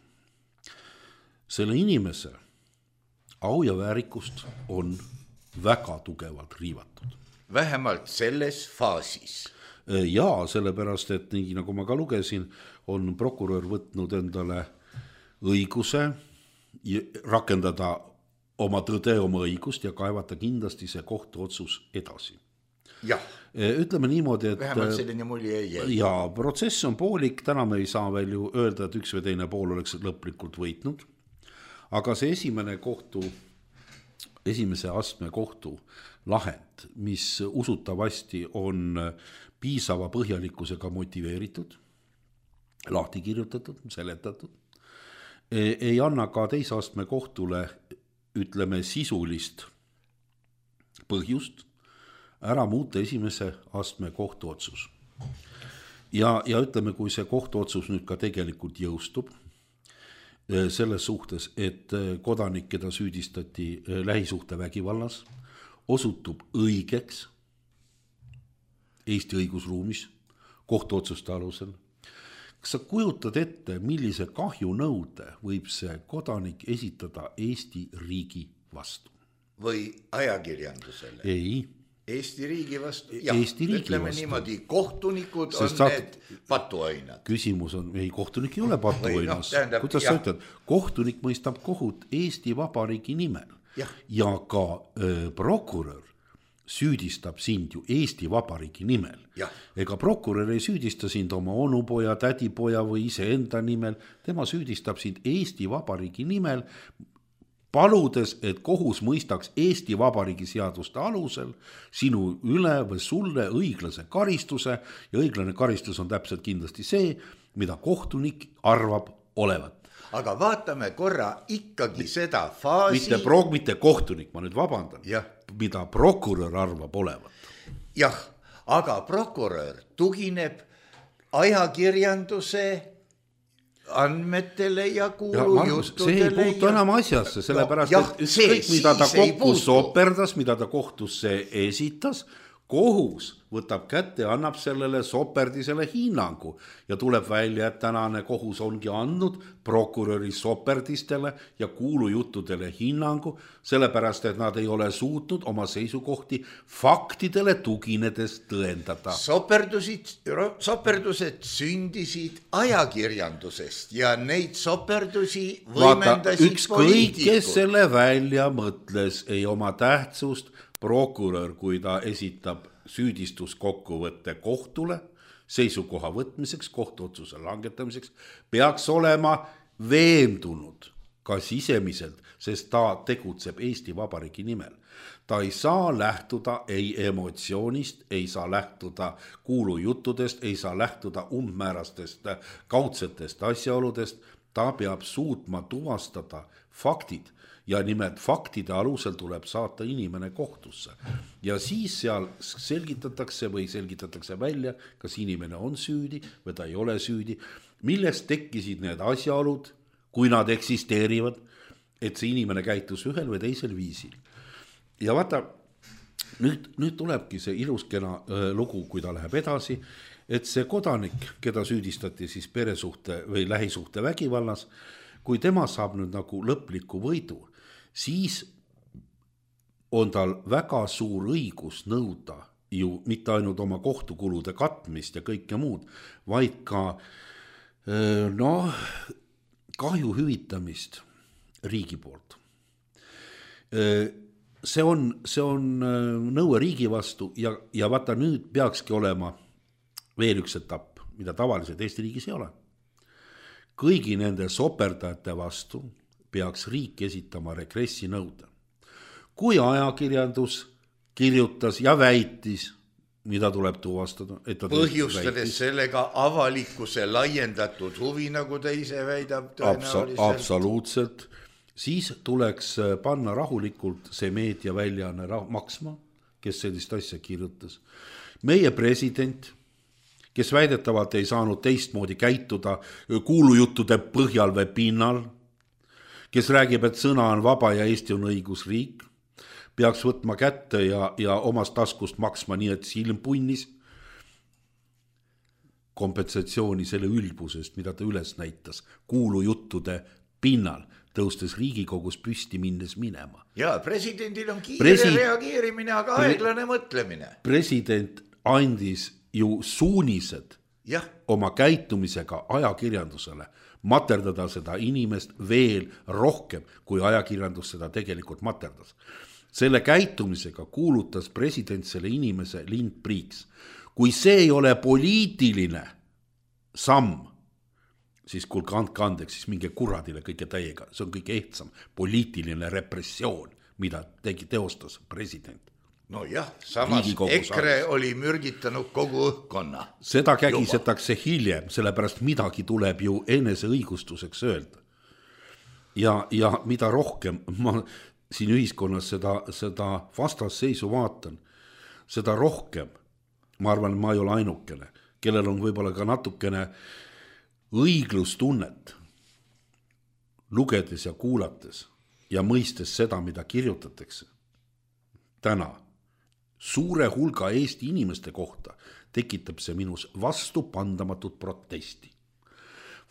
[SPEAKER 4] Selle inimese au ja väärikust on väga tugevalt riivatud.
[SPEAKER 3] Vähemalt selles faasis.
[SPEAKER 4] Ja sellepärast, et nii nagu ma ka lugesin, on prokurör võtnud endale õiguse rakendada oma tõde, oma õigust ja kaevata kindlasti see kohtuotsus edasi.
[SPEAKER 3] Jah.
[SPEAKER 4] Ütleme niimoodi, et
[SPEAKER 3] vähemalt selline mulje ei jäi.
[SPEAKER 4] Ja protsess on poolik, täna me ei saa veel ju öelda, et üks või teine pool oleks lõplikult võitnud. Aga see esimese astme kohtu lahend, mis usutavasti on piisava põhjalikkusega motiveeritud, lahti kirjutatud, seletatud, ei anna ka teise astme kohtule, ütleme, sisulist põhjust ära muuta esimese astme kohtuotsus. Ja ütleme, kui see kohtuotsus nüüd ka tegelikult jõustub, selles suhtes, et kodanik, keda süüdistati lähisuhte vägivallas, osutub õigeks Eesti õigusruumis kohtuotsuste alusel. Kas sa kujutad ette, millise kahjunõude võib see kodanik esitada Eesti riigi vastu?
[SPEAKER 3] Või ajakirjandusele?
[SPEAKER 4] Ei.
[SPEAKER 3] Eesti riigi vastu?
[SPEAKER 4] Eesti riigi
[SPEAKER 3] ütleme
[SPEAKER 4] vastu.
[SPEAKER 3] Niimoodi, kohtunikud on need patuainad.
[SPEAKER 4] Küsimus on, ei, kohtunik ei ole patuainas. Kuidas sa ütled? Kohtunik mõistab kohut Eesti Vabariigi nimel. Ja ka prokurör süüdistab sind ju Eesti Vabariigi nimel. Ega prokurör ei süüdista sind oma onupoja, tädipoja või iseenda nimel, tema süüdistab sind Eesti Vabariigi nimel, paludes, et kohus mõistaks Eesti Vabariigi seaduste alusel sinu üle või sulle õiglase karistuse ja õiglane karistus on täpselt kindlasti see, mida kohtunik arvab olevat.
[SPEAKER 3] Aga vaatame korra ikkagi seda faasi...
[SPEAKER 4] Mitte kohtunik, ma nüüd vabandan, mida prokurör arvab olevat.
[SPEAKER 3] Jah, aga prokurör tugineb ajakirjanduse andmetele ja kuulujuttudele.
[SPEAKER 4] See ei puutu enam asjasse, sellepärast, et ükskõik, mida ta kohtus soperdas, mida ta kohtusse esitas, kohus võtab kätte ja annab sellele soperdisele hinnangu ja tuleb välja, et tänane kohus ongi andnud prokuröri soperdistele ja kuulujuttudele hinnangu, sellepärast, et nad ei ole suutnud oma seisukohti faktidele tuginedes tõendada.
[SPEAKER 3] Soperdused sündisid ajakirjandusest ja neid soperdusi võimendasid
[SPEAKER 4] ükskõik, kes selle välja mõtles, ei oma tähtsust. Prokurör, kui ta esitab süüdistuskokkuvõtte kohtule seisukoha võtmiseks, kohtuotsuse langetamiseks, peaks olema veendunud ka sisemiselt, sest ta tegutseb Eesti Vabariigi nimel. Ta ei saa lähtuda ei emotsioonist, ei saa lähtuda kuulujuttudest, ei saa lähtuda umbmäärastest kaudsetest asjaoludest, ta peab suutma tuvastada faktid. Ja nimelt faktide alusel tuleb saata inimene kohtusse. Ja siis seal selgitatakse välja, kas inimene on süüdi või ta ei ole süüdi, millest tekkisid need asjaolud, kui nad eksisteerivad, et see inimene käitus ühel või teisel viisil. Ja vaata, nüüd tulebki see iluskena lugu, kui ta läheb edasi, et see kodanik, keda süüdistati siis peresuhte või lähisuhte vägivallas, kui tema saab nüüd nagu lõpliku võidu, siis on tal väga suur õigus nõuda ju mitte ainult oma kohtukulude katmist ja kõike muud, vaid ka kahju hüvitamist riigi poolt. See on nõue riigi vastu ja vaata nüüd peakski olema veel üks etapp, mida tavaliselt Eesti riigis ei ole. Kõigi nende soperdajate vastu peaks riik esitama regressi nõude. Kui ajakirjandus kirjutas ja väitis, mida tuleb tuvastada, et
[SPEAKER 3] põhjustades sellega avalikkuse laiendatud huvi, nagu ta ise väidab tõenäoliselt.
[SPEAKER 4] Absoluutselt. Siis tuleks panna rahulikult see meediaväljaanne maksma, kes sellist asja kirjutas. Meie president, kes väidetavalt ei saanud teistmoodi käituda kuulujuttude põhjal või pinnal, kes räägib, et sõna on vaba ja Eesti on õigusriik, peaks võtma kätte ja omast taskust maksma nii, et silm punnis kompensatsiooni selle ülbusest, mida ta üles näitas kuulujuttude pinnal, tõustes Riigikogus püsti minnes minema.
[SPEAKER 3] Ja presidendil on kiire reageerimine, aga aeglane mõtlemine.
[SPEAKER 4] President andis ju suunised oma käitumisega ajakirjandusele, materdada seda inimest veel rohkem, kui ajakirjandus seda tegelikult materdas. Selle käitumisega kuulutas president selle inimese lindpriiks. Kui see ei ole poliitiline samm, siis kuulge andke andeks, siis minge kuradile kõige täiega. See on kõige ehtsam poliitiline repressioon, mida teostas president.
[SPEAKER 3] No jah, samas EKRE oli mürgitanud kogu õhkkonna.
[SPEAKER 4] Seda kägisetakse hiljem, sellepärast midagi tuleb ju enese õigustuseks öelda. Ja mida rohkem ma siin ühiskonnas seda vastasseisu vaatan, seda rohkem, ma arvan, ma ei ole ainukene, kellel on võib-olla ka natukene õiglustunnet, lugedes ja kuulates ja mõistes seda, mida kirjutatakse täna, suure hulga Eesti inimeste kohta tekitab see minus vastupandamatut protesti.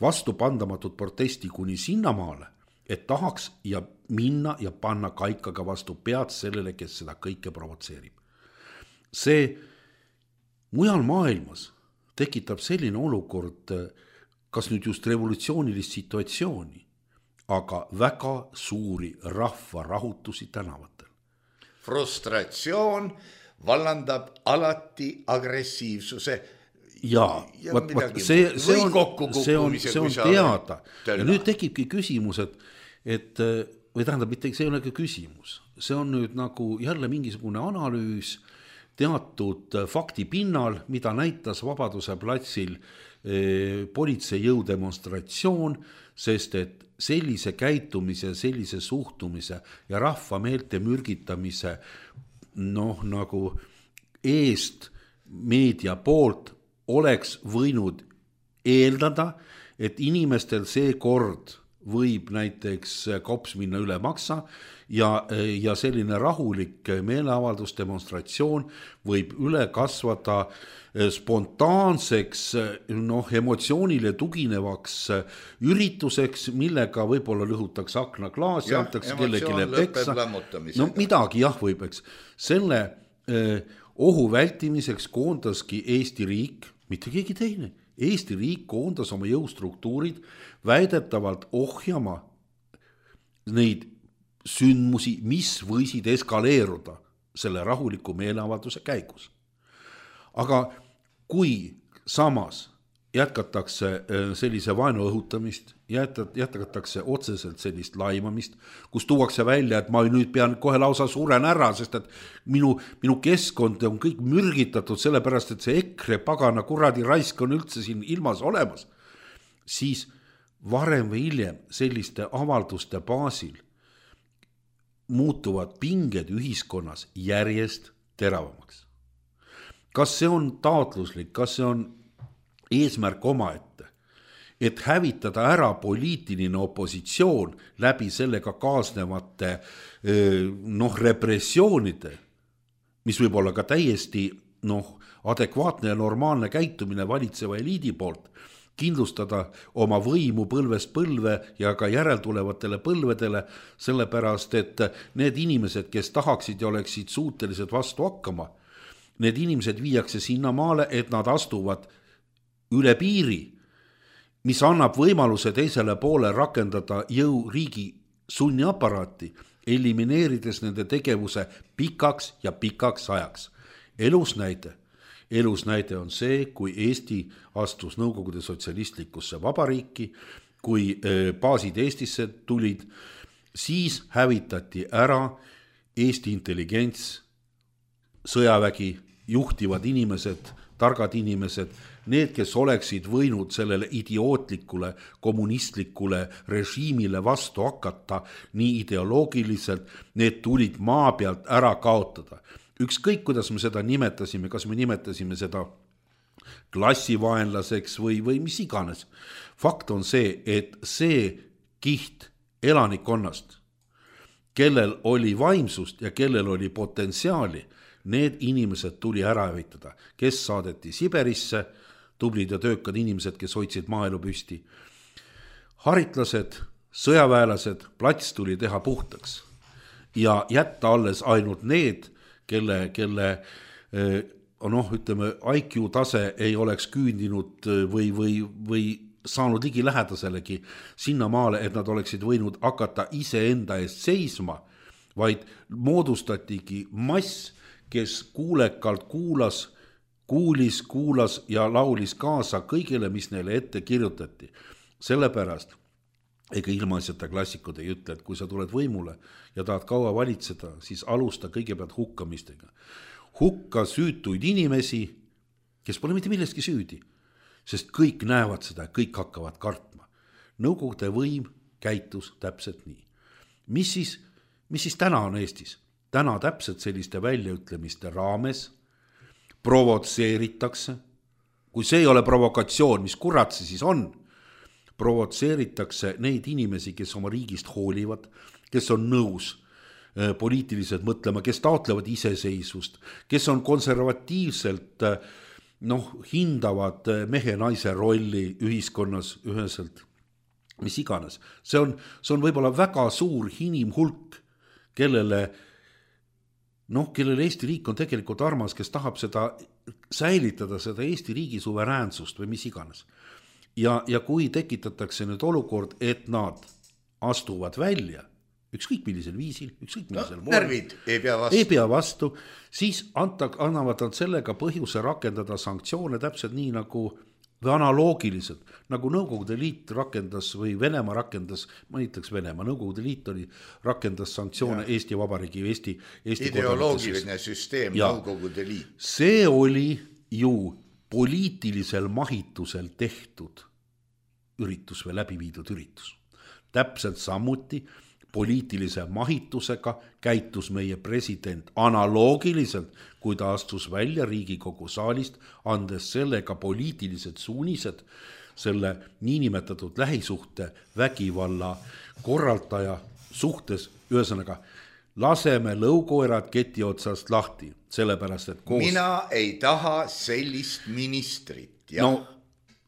[SPEAKER 4] Vastupandamatut protesti kuni sinnamaale, et tahaks ja minna ja panna kaikaga vastu pead sellele, kes seda kõike provotseerib. See mujal maailmas tekitab selline olukord, kas nüüd just revolutsioonilist situatsiooni, aga väga suuri rahvarahutusi tänavatel.
[SPEAKER 3] Frustratsioon, vallandab alati agressiivsuse.
[SPEAKER 4] ja see on teada. Ja nüüd tekibki küsimus, et või tähendab, mitte see ei ole ka küsimus. See on nüüd nagu jälle mingisugune analüüs teatud fakti pinnal, mida näitas Vabaduse platsil politseijõu demonstratsioon, sest et sellise käitumise, sellise suhtumise ja rahva meelte mürgitamise nagu eest meedia poolt oleks võinud eeldada, et inimestel see kord võib näiteks kops minna üle maksa ja selline rahulik meeleavaldus, demonstratsioon võib üle kasvada spontaanseks, emotsioonile tuginevaks ürituseks, millega võib-olla lõhutakse aknaklaas ja antakse kellegile peksa. Midagi võib, eks. Selle ohu vältimiseks koondaski Eesti riik, mitte keegi teine. Eesti riik koondas oma jõustruktuurid väidetavalt ohjama neid sündmusi, mis võisid eskaleeruda selle rahuliku meeleavalduse käigus. Aga kui samas jätkatakse sellise vaenu õhutamist, jätkatakse otseselt sellist laimamist, kus tuuakse välja, et ma nüüd pean kohe lausa suren ära, sest et minu keskkond on kõik mürgitatud sellepärast, et see EKRE pagana kuradi raisk on üldse siin ilmas olemas, siis varem või hiljem selliste avalduste baasil muutuvad pinged ühiskonnas järjest teravamaks. Kas see on taotluslik, kas see on eesmärk omaette, et hävitada ära poliitiline opositsioon läbi sellega kaasnevate repressioonide, mis võib olla ka täiesti adekvaatne ja normaalne käitumine valitseva eliidi poolt, kindlustada oma võimu põlvest põlve ja ka järeltulevatele põlvedele, sellepärast et need inimesed, kes tahaksid ja oleksid suutelised vastu hakkama, need inimesed viiakse sinna maale, et nad astuvad üle piiri, mis annab võimaluse teisele poole rakendada jõu riigi sunniaparaati, elimineerides nende tegevuse pikaks ja pikaks ajaks. Elus näide on see, kui Eesti astus Nõukogude sotsialistlikusse vabariiki, kui baasid Eestisse tulid, siis hävitati ära Eesti intelligents, sõjavägi, juhtivad inimesed, targad inimesed, need, kes oleksid võinud sellele idiootlikule kommunistlikule režiimile vastu hakata nii ideoloogiliselt, need tulid maa pealt ära kaotada. Ükskõik, kuidas me seda nimetasime, kas me nimetasime seda klassivaenlaseks või mis iganes. Fakt on see, et see kiht elanikkonnast, kellel oli vaimsust ja kellel oli potentsiaali, need inimesed tuli ära hävitada, kes saadeti Siberisse, tublid ja töökad inimesed, kes hoidsid maaelu püsti. Haritlased, sõjaväelased, plats tuli teha puhtaks ja jätta alles ainult need, kelle ütleme, IQ tase ei oleks küündinud või saanud ligi lähedaselegi sinna maale, et nad oleksid võinud hakata iseenda eest seisma, vaid moodustatigi mass, kes kuulekalt kuulis ja laulis kaasa kõigile, mis neile ette kirjutati. Sellepärast, ega ilmaasjata klassikud ei ütle, et kui sa tuled võimule ja tahad kaua valitseda, siis alusta kõigepealt hukkamistega. Hukka süütuid inimesi, kes pole mitte millestki süüdi, sest kõik näevad seda, kõik hakkavad kartma. Nõukogude võim käitus täpselt nii. Mis siis täna on Eestis? Täna täpselt selliste väljaütlemiste raames provotseeritakse, kui see ei ole provokatsioon, mis kurat see siis on, provotseeritakse neid inimesi, kes oma riigist hoolivad, kes on nõus poliitiliselt mõtlema, kes taotlevad iseseisvust, kes on konservatiivselt hindavad mehe-naise rolli ühiskonnas üheselt, mis iganes. See on võib-olla väga suur inimhulk, kellele Eesti riik on tegelikult armas, kes tahab säilitada seda Eesti riigi suveräänsust või mis iganes. Ja kui tekitatakse nüüd olukord, et nad astuvad välja ükskõik millisel viisil, ükskõik millisel moel.
[SPEAKER 3] Närvid ei
[SPEAKER 4] pea vastu, siis annavad nad sellega põhjuse rakendada sanktsioone täpselt nii nagu või analoogiliselt, nagu Nõukogude Liit rakendas või Venemaa rakendas, mainitakse Venemaa, Nõukogude Liit rakendas sanktsioone Eesti Vabariigi, Eesti
[SPEAKER 3] ideoloogiline süsteem, Nõukogude Liit.
[SPEAKER 4] See oli ju poliitilisel mahitusel tehtud üritus või läbi viidud üritus. Täpselt samuti poliitilise mahitusega käitus meie president analoogiliselt, kui ta astus välja Riigikogu saalist, andes sellega poliitilised suunised selle niinimetatud lähisuhte vägivalla korraldaja suhtes, ühesõnaga laseme lõukoerad keti otsast lahti, sellepärast et koos...
[SPEAKER 3] Mina ei taha sellist ministrit. Ja.
[SPEAKER 4] No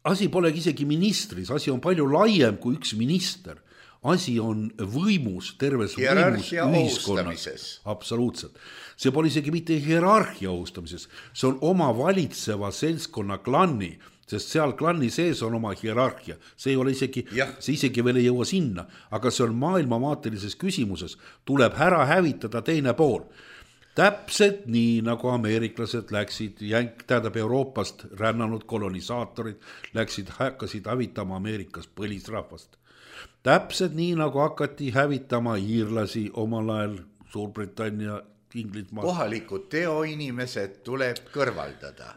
[SPEAKER 4] asi polegi isegi ministris, asi on palju laiem kui üks minister. Asi on võimus, terves võimus ühiskonnas. Absoluutselt. See pole isegi mitte hierarhia ohustamises, see on oma valitseva seltskonna klanni, sest seal klanni sees on oma hierarhia. See ei ole isegi, see isegi veel ei jõua sinna, aga see on maailmamaatelises küsimuses, tuleb ära hävitada teine pool. Täpselt nii, nagu ameeriklased läksid, tähendab Euroopast rännanud kolonisaatorid hakkasid hävitama Ameerikas põlisrahvast. Täpselt nii, nagu hakati hävitama iirlasi omal ajal Suurbritannia, Inglismaa.
[SPEAKER 3] Kohalikud teoinimesed tuleb kõrvaldada.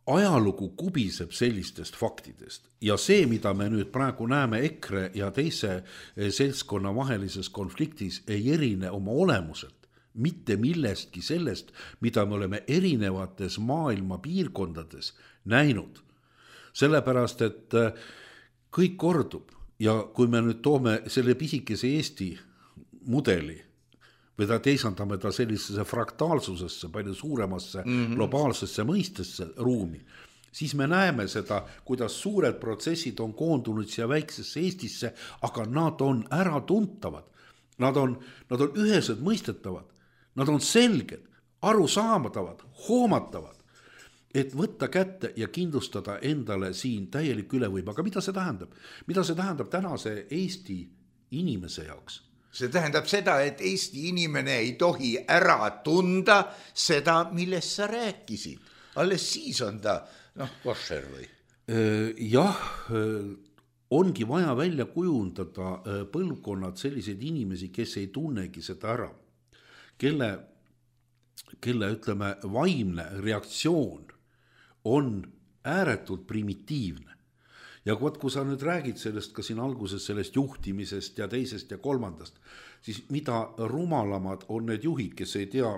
[SPEAKER 4] Ajalugu kubiseb sellistest faktidest ja see, mida me nüüd praegu näeme EKRE ja teise seltskonna vahelises konfliktis, ei erine oma olemuselt mitte millestki sellest, mida me oleme erinevates maailma piirkondades näinud. Sellepärast, et kõik kordub. Ja kui me nüüd toome selle pisikese Eesti mudeli või teisandame ta sellisesse fraktaalsusesse, palju suuremasse globaalsesse mõistesse ruumi, siis me näeme seda, kuidas suured protsessid on koondunud siia väiksesse Eestisse, aga nad on äratuntavad. Nad on ühesed mõistetavad, nad on selged, arusaamatavad, hoomatavad. Et võtta kätte ja kindlustada endale siin täielik ülevõim. Aga mida see tähendab? Mida see tähendab tänase Eesti inimese jaoks?
[SPEAKER 3] See tähendab seda, et Eesti inimene ei tohi ära tunda seda, millest sa rääkisid. Alles siis on ta, košer või?
[SPEAKER 4] Jah, ongi vaja välja kujundada põlvkonnad selliseid inimesi, kes ei tunnegi seda ära. Kelle ütleme, vaimne reaktsioon on ääretult primitiivne. Ja kui sa nüüd räägid sellest ka siin alguses sellest juhtimisest ja teisest ja kolmandast, siis mida rumalamad on need juhid, kes ei tea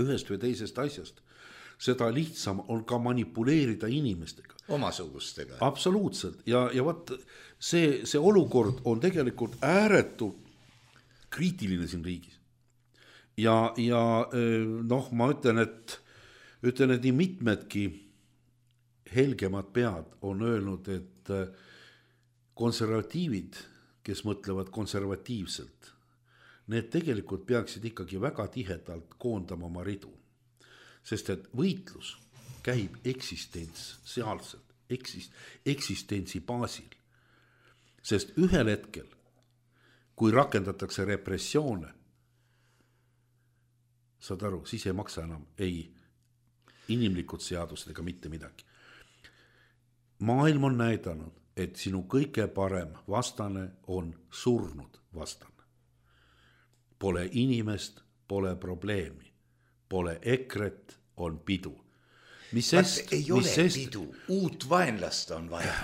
[SPEAKER 4] ühest või teisest asjast, seda lihtsam on ka manipuleerida inimestega.
[SPEAKER 3] Omasugustega.
[SPEAKER 4] Absoluutselt. Ja võt, see olukord on tegelikult ääretult kriitiline siin riigis. Ja ma ütlen, et nii mitmedki helgemad pead on öelnud, et konservatiivid, kes mõtlevad konservatiivselt, need tegelikult peaksid ikkagi väga tihedalt koondama oma ridu. Sest et võitlus käib eksistentsiaalselt, eksistentsi baasil. Sest ühel hetkel, kui rakendatakse repressioone, saad aru, siis ei maksa enam inimlikud seadused ega mitte midagi. Maailm on näidanud, et sinu kõige parem vastane on surnud vastane. Pole inimest, pole probleemi. Pole EKRE-t, on pidu.
[SPEAKER 3] Ei ole pidu, uut vaenlast on vaja.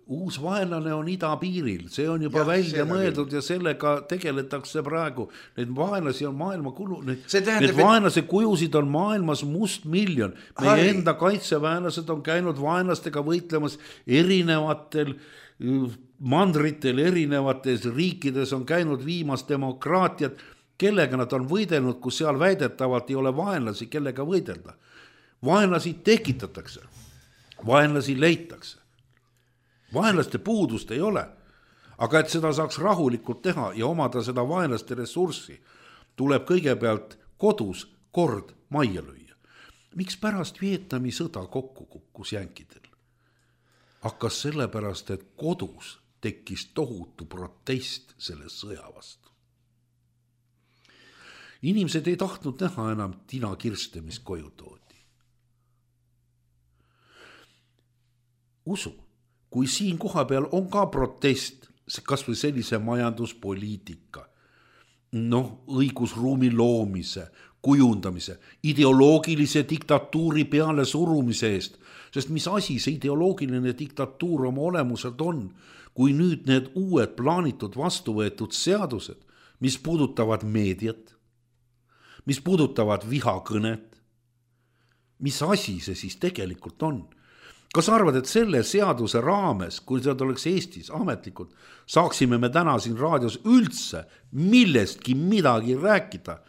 [SPEAKER 4] Uus vaenlane on idapiiril, see on juba välja mõeldud ja sellega tegeletakse praegu. Need vaenlasi on maailma need vaenlase kujusid on maailmas mustmiljon. Meie enda kaitseväenlased on käinud vaenlastega võitlemas erinevatel mandritel, erinevates riikides on käinud viimas demokraatiat, kellega nad on võidelnud, kus seal väidetavalt ei ole vaenlasi, kellega võidelda. Vaenlasi tekitatakse, vaenlasi leitakse. Vaenlaste puudust ei ole, aga et seda saaks rahulikult teha ja omada seda vaenlaste ressurssi, tuleb kõigepealt kodus kord majja lüüa. Miks pärast Vietnami sõda kokku kukkus jänkidel? Hakkas sellepärast, et kodus tekkis tohutu protest selle sõja vastu. Inimesed ei tahtnud näha enam Tina Kirste, mis koju toodi. Usu, kui siin koha peal on ka protest, kas või sellise majanduspoliitika, õigusruumi loomise, kujundamise, ideoloogilise diktatuuri peale surumise eest, sest mis asi see ideoloogiline diktatuur oma olemuselt on, kui nüüd need uued plaanitud vastu võetud seadused, mis puudutavad meediat, mis puudutavad vihakõnet, mis asi see siis tegelikult on? Kas arvad, et selle seaduse raames, kui seda oleks Eestis ametlikult, saaksime me täna siin raadios üldse millestki midagi rääkida,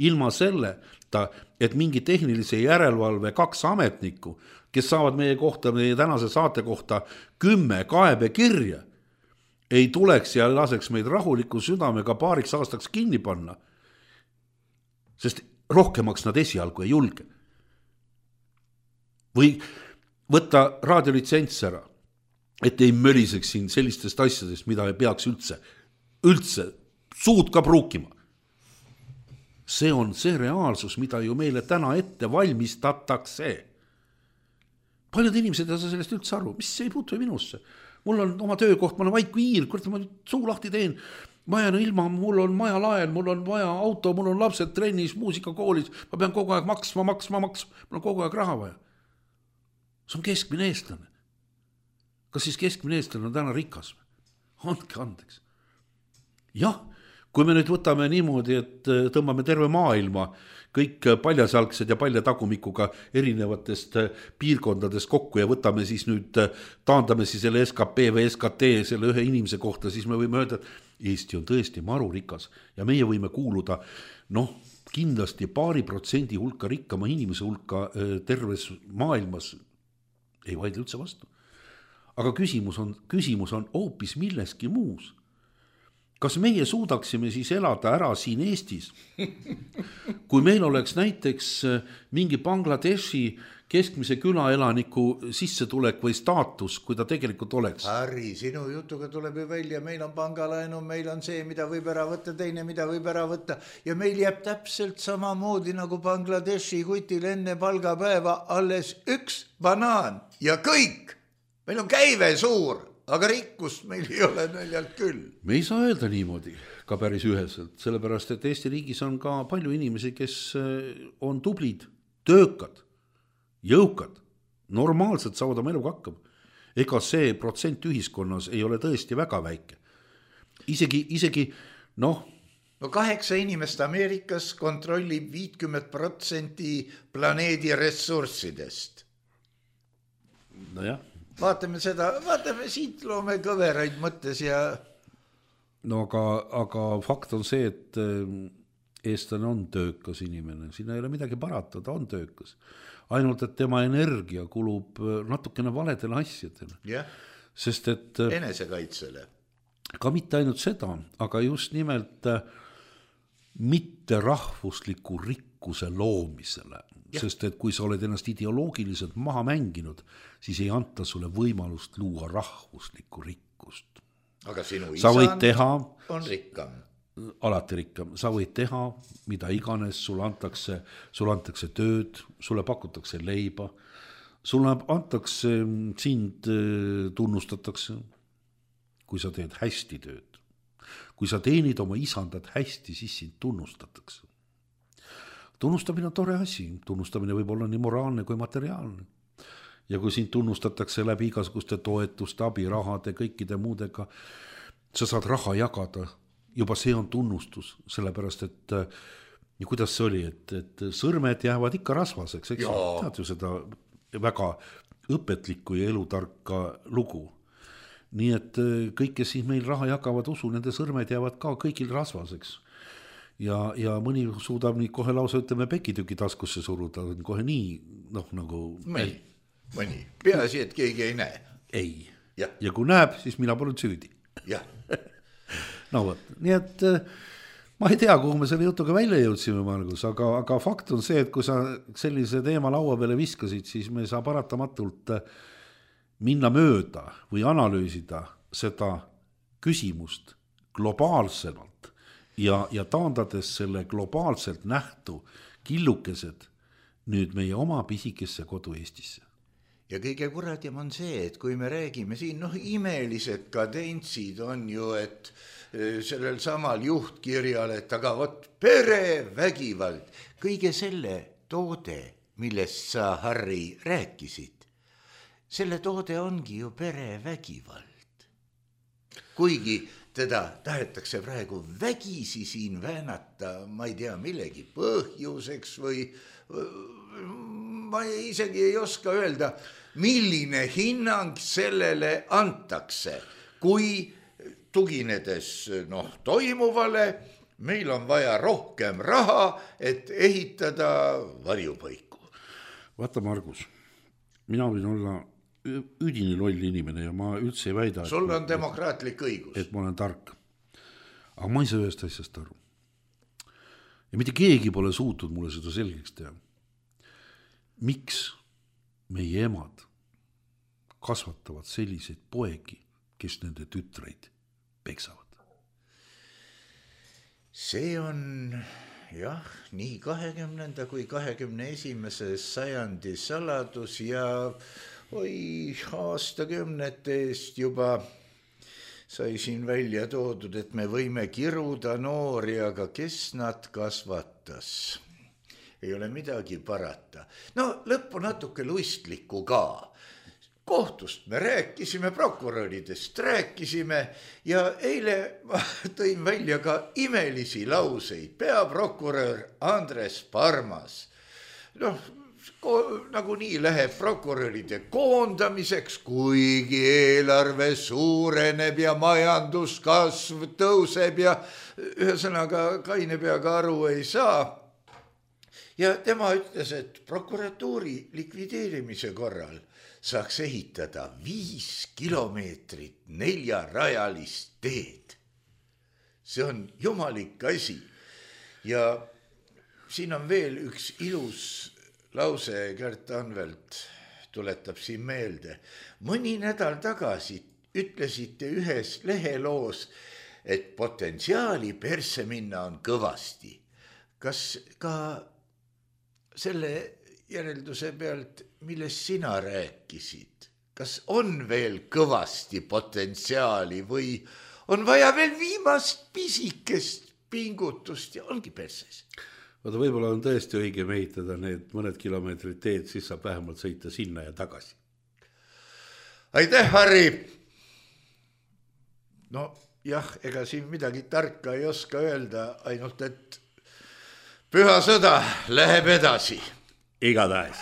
[SPEAKER 4] ilma selleta, et mingi tehnilise järelevalve 2 ametnikku, kes saavad meie tänase saate kohta 10 kaebekirja, ei tuleks ja laseks meid rahuliku südamega 2 aastaks kinni panna, sest rohkemaks nad esialgu ei julge. Või võtta raadiolitsents ära, et ei möliseks siin sellistest asjadest, mida ei peaks üldse suud ka pruukima. See on see reaalsus, mida ju meile täna ette valmistatakse. Paljud inimesed ei saa sellest üldse aru, mis ei puutu minusse. Mul on oma töökoht, ma olen vaid kui hiir, ma suu lahti teen, ma jään ilma, mul on maja laen, mul on vaja auto, mul on lapsed trennis, muusikakoolis, ma pean kogu aeg maksma, mul on kogu aeg raha vaja. See on keskmine eestlane. Kas siis keskmine eestlane on täna rikas? Andke andeks. Jah, kui me nüüd võtame niimoodi, et tõmbame terve maailma, kõik paljasalgsed ja paljatagumikuga erinevatest piirkondades kokku ja võtame siis nüüd, taandame siis selle SKP või SKT selle ühe inimese kohta, siis me võime öelda, et Eesti on tõesti marurikas ja meie võime kuuluda, kindlasti 2% hulka rikkama inimese hulka terves maailmas, ei vaidle üldse vastu. Aga küsimus on hoopis milleski muus. Kas meie suudaksime siis elada ära siin Eestis, kui meil oleks näiteks mingi Bangladeshi keskmise külaelaniku sissetulek või staatus, kui ta tegelikult oleks?
[SPEAKER 3] Harri, sinu jutuga tuleb ju välja, meil on pangalaenu, meil on see, mida võib ära võtta, teine, mida võib ära võtta ja meil jääb täpselt samamoodi nagu Bangladeshi kutil enne palgapäeva alles 1 banaan ja kõik. Meil on käive suur, aga rikkust meil ei ole naljalt küll.
[SPEAKER 4] Me ei saa öelda niimoodi ka päris üheselt, sellepärast, et Eesti riigis on ka palju inimesi, kes on tublid, töökad, jõukad, normaalselt saavad oma eluga hakkama. Ega see protsent ühiskonnas ei ole tõesti väga väike. Isegi
[SPEAKER 3] 8 inimest Ameerikas kontrollib 50% planeedi ressurssidest.
[SPEAKER 4] Nojah.
[SPEAKER 3] Vaatame siit loome kõveraid mõttes ja...
[SPEAKER 4] aga fakt on see, et eestlane on töökas inimene, siin ei ole midagi parata, ta on töökas. Ainult, et tema energia kulub natukene valedele asjadele.
[SPEAKER 3] Yeah.
[SPEAKER 4] Sest et...
[SPEAKER 3] Enesekaitsele.
[SPEAKER 4] Ka mitte ainult seda, aga just nimelt mitte rahvusliku rikkuse loomisele. Ja. Sest et kui sa oled ennast ideoloogiliselt maha mänginud, siis ei anta sulle võimalust luua rahvuslikku rikkust.
[SPEAKER 3] Aga sinu isand on rikkam.
[SPEAKER 4] Alati rikkam. Sa võid teha, mida iganes, sulle antakse tööd, sulle pakutakse leiba, sulle antakse, sind tunnustatakse, kui sa teed hästi tööd. Kui sa teenid oma isandat hästi, siis sind tunnustatakse. Tunnustamine on tore asi, tunnustamine võib olla nii moraalne kui materiaalne. Ja kui sind tunnustatakse läbi igasuguste toetuste, abirahade, kõikide muudega, sa saad raha jagada, juba see on tunnustus, sellepärast, et ja kuidas see oli, et sõrmed jäävad ikka rasvaseks, eks tead ju seda väga õpetlikku ja elutarka lugu. Nii et kõik, kes siis meil raha jagavad usu, nende sõrmed jäävad ka kõigil rasvaseks. Ja mõni suudab nii kohe lausa, ütleme, pekitüki taskusse suruda, kohe nii, nagu...
[SPEAKER 3] Mõni. Peaasi, et keegi ei näe.
[SPEAKER 4] Ei. Ja kui näeb, siis mina polnud süüdi.
[SPEAKER 3] Jah.
[SPEAKER 4] Nii et ma ei tea, kuhu me selle jutuga välja jõudsime, Margus, aga fakt on see, et kui sa sellise teema laua peale viskasid, siis me saa paratamatult minna mööda või analüüsida seda küsimust globaalsemalt ja taandades selle globaalselt nähtu killukesed nüüd meie oma pisikesse kodu Eestisse.
[SPEAKER 3] Ja kõige kuradim on see, et kui me räägime siin, imelised kadentsid on ju, et sellel samal juhtkirjal, et aga vot perevägivald, kõige selle toode, millest sa, Harri, rääkisid, selle toode ongi ju perevägivald. Kuigi teda tahetakse praegu vägisi siin väänata, ma ei tea, millegi põhjuseks või ma isegi ei oska öelda, milline hinnang sellele antakse, kui tuginedes toimuvale, meil on vaja rohkem raha, et ehitada varjupaiku.
[SPEAKER 4] Vaata, Margus, mina võin olla üdini loll inimene ja ma üldse ei väida,
[SPEAKER 3] sul on demokraatlik õigus,
[SPEAKER 4] et ma olen tark. Aga ma ei saa ühest asjast aru. Ja mitte keegi pole suutnud mulle seda selgeks teha. Miks meie emad kasvatavad selliseid poegi, kes nende tütreid peksavad?
[SPEAKER 3] See on jah, nii 20. kui 21. sajandi saladus ja aastakümnete eest juba sai siin välja toodud, et me võime kiruda noori, aga kes nad kasvatas? Ei ole midagi parata. Lõppu natuke luistlikku ka. Kohtust me rääkisime, prokuröridest rääkisime ja eile ma tõin välja ka imelisi lauseid. Peaprokurör Andres Parmas. Nagu nii läheb prokuröride koondamiseks, kuigi eelarve suureneb ja majanduskasv tõuseb ja ühesõnaga kaine peaga aru ei saa. Ja tema ütles, et prokuratuuri likvideerimise korral saaks ehitada 5 kilomeetrit 4-rajalist teed. See on jumalik asi. Ja siin on veel üks ilus lause, Gert Anvelt tuletab siin meelde. Mõni nädal tagasi ütlesite ühes leheloos, et potentsiaali persse minna on kõvasti. Kas ka selle järelduse pealt, millest sina rääkisid, kas on veel kõvasti potentsiaali või on vaja veel viimast pisikest pingutust ja ongi perses?
[SPEAKER 4] Vaata, võib-olla on tõesti õige ehitada need mõned kilomeetrid teed, siis saab vähemalt sõita sinna ja tagasi.
[SPEAKER 3] Aitäh, Harri! Jah, ega siin midagi tarka ei oska öelda, ainult et püha sõda läheb edasi.
[SPEAKER 4] Igatahes.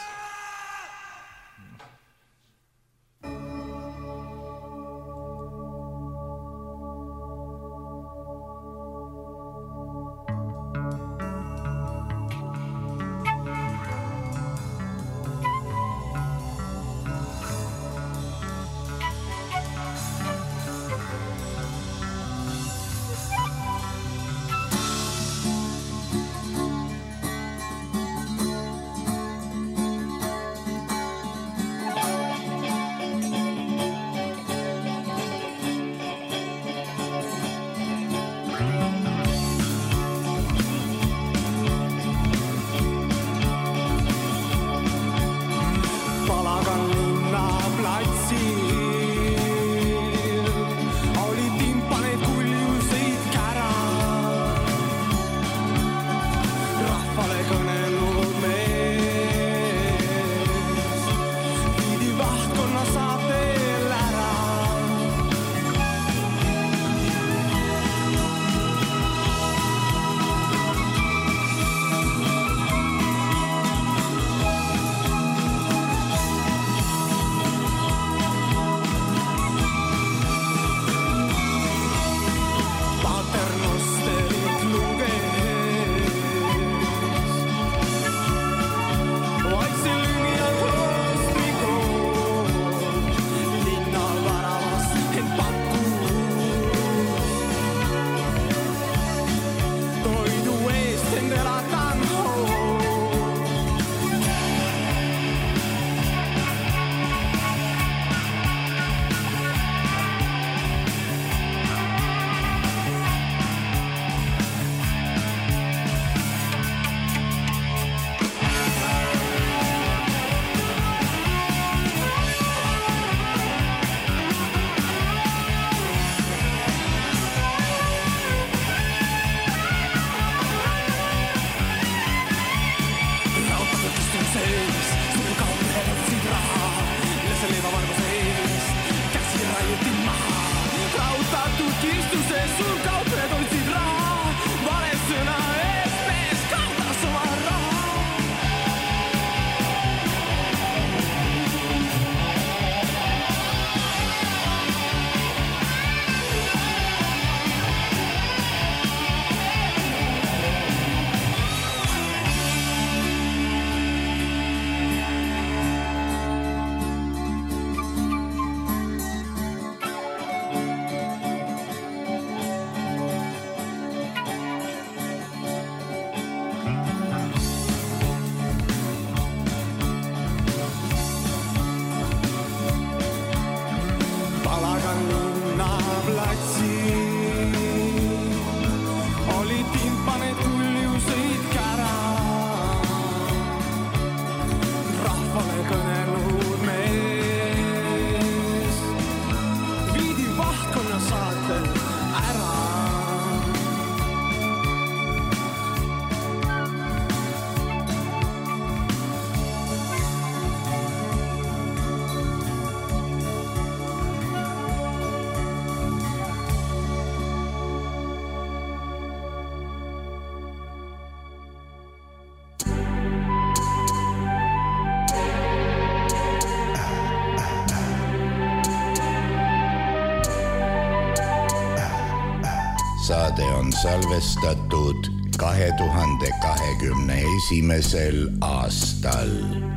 [SPEAKER 3] saade on salvestatud 2021. aastal.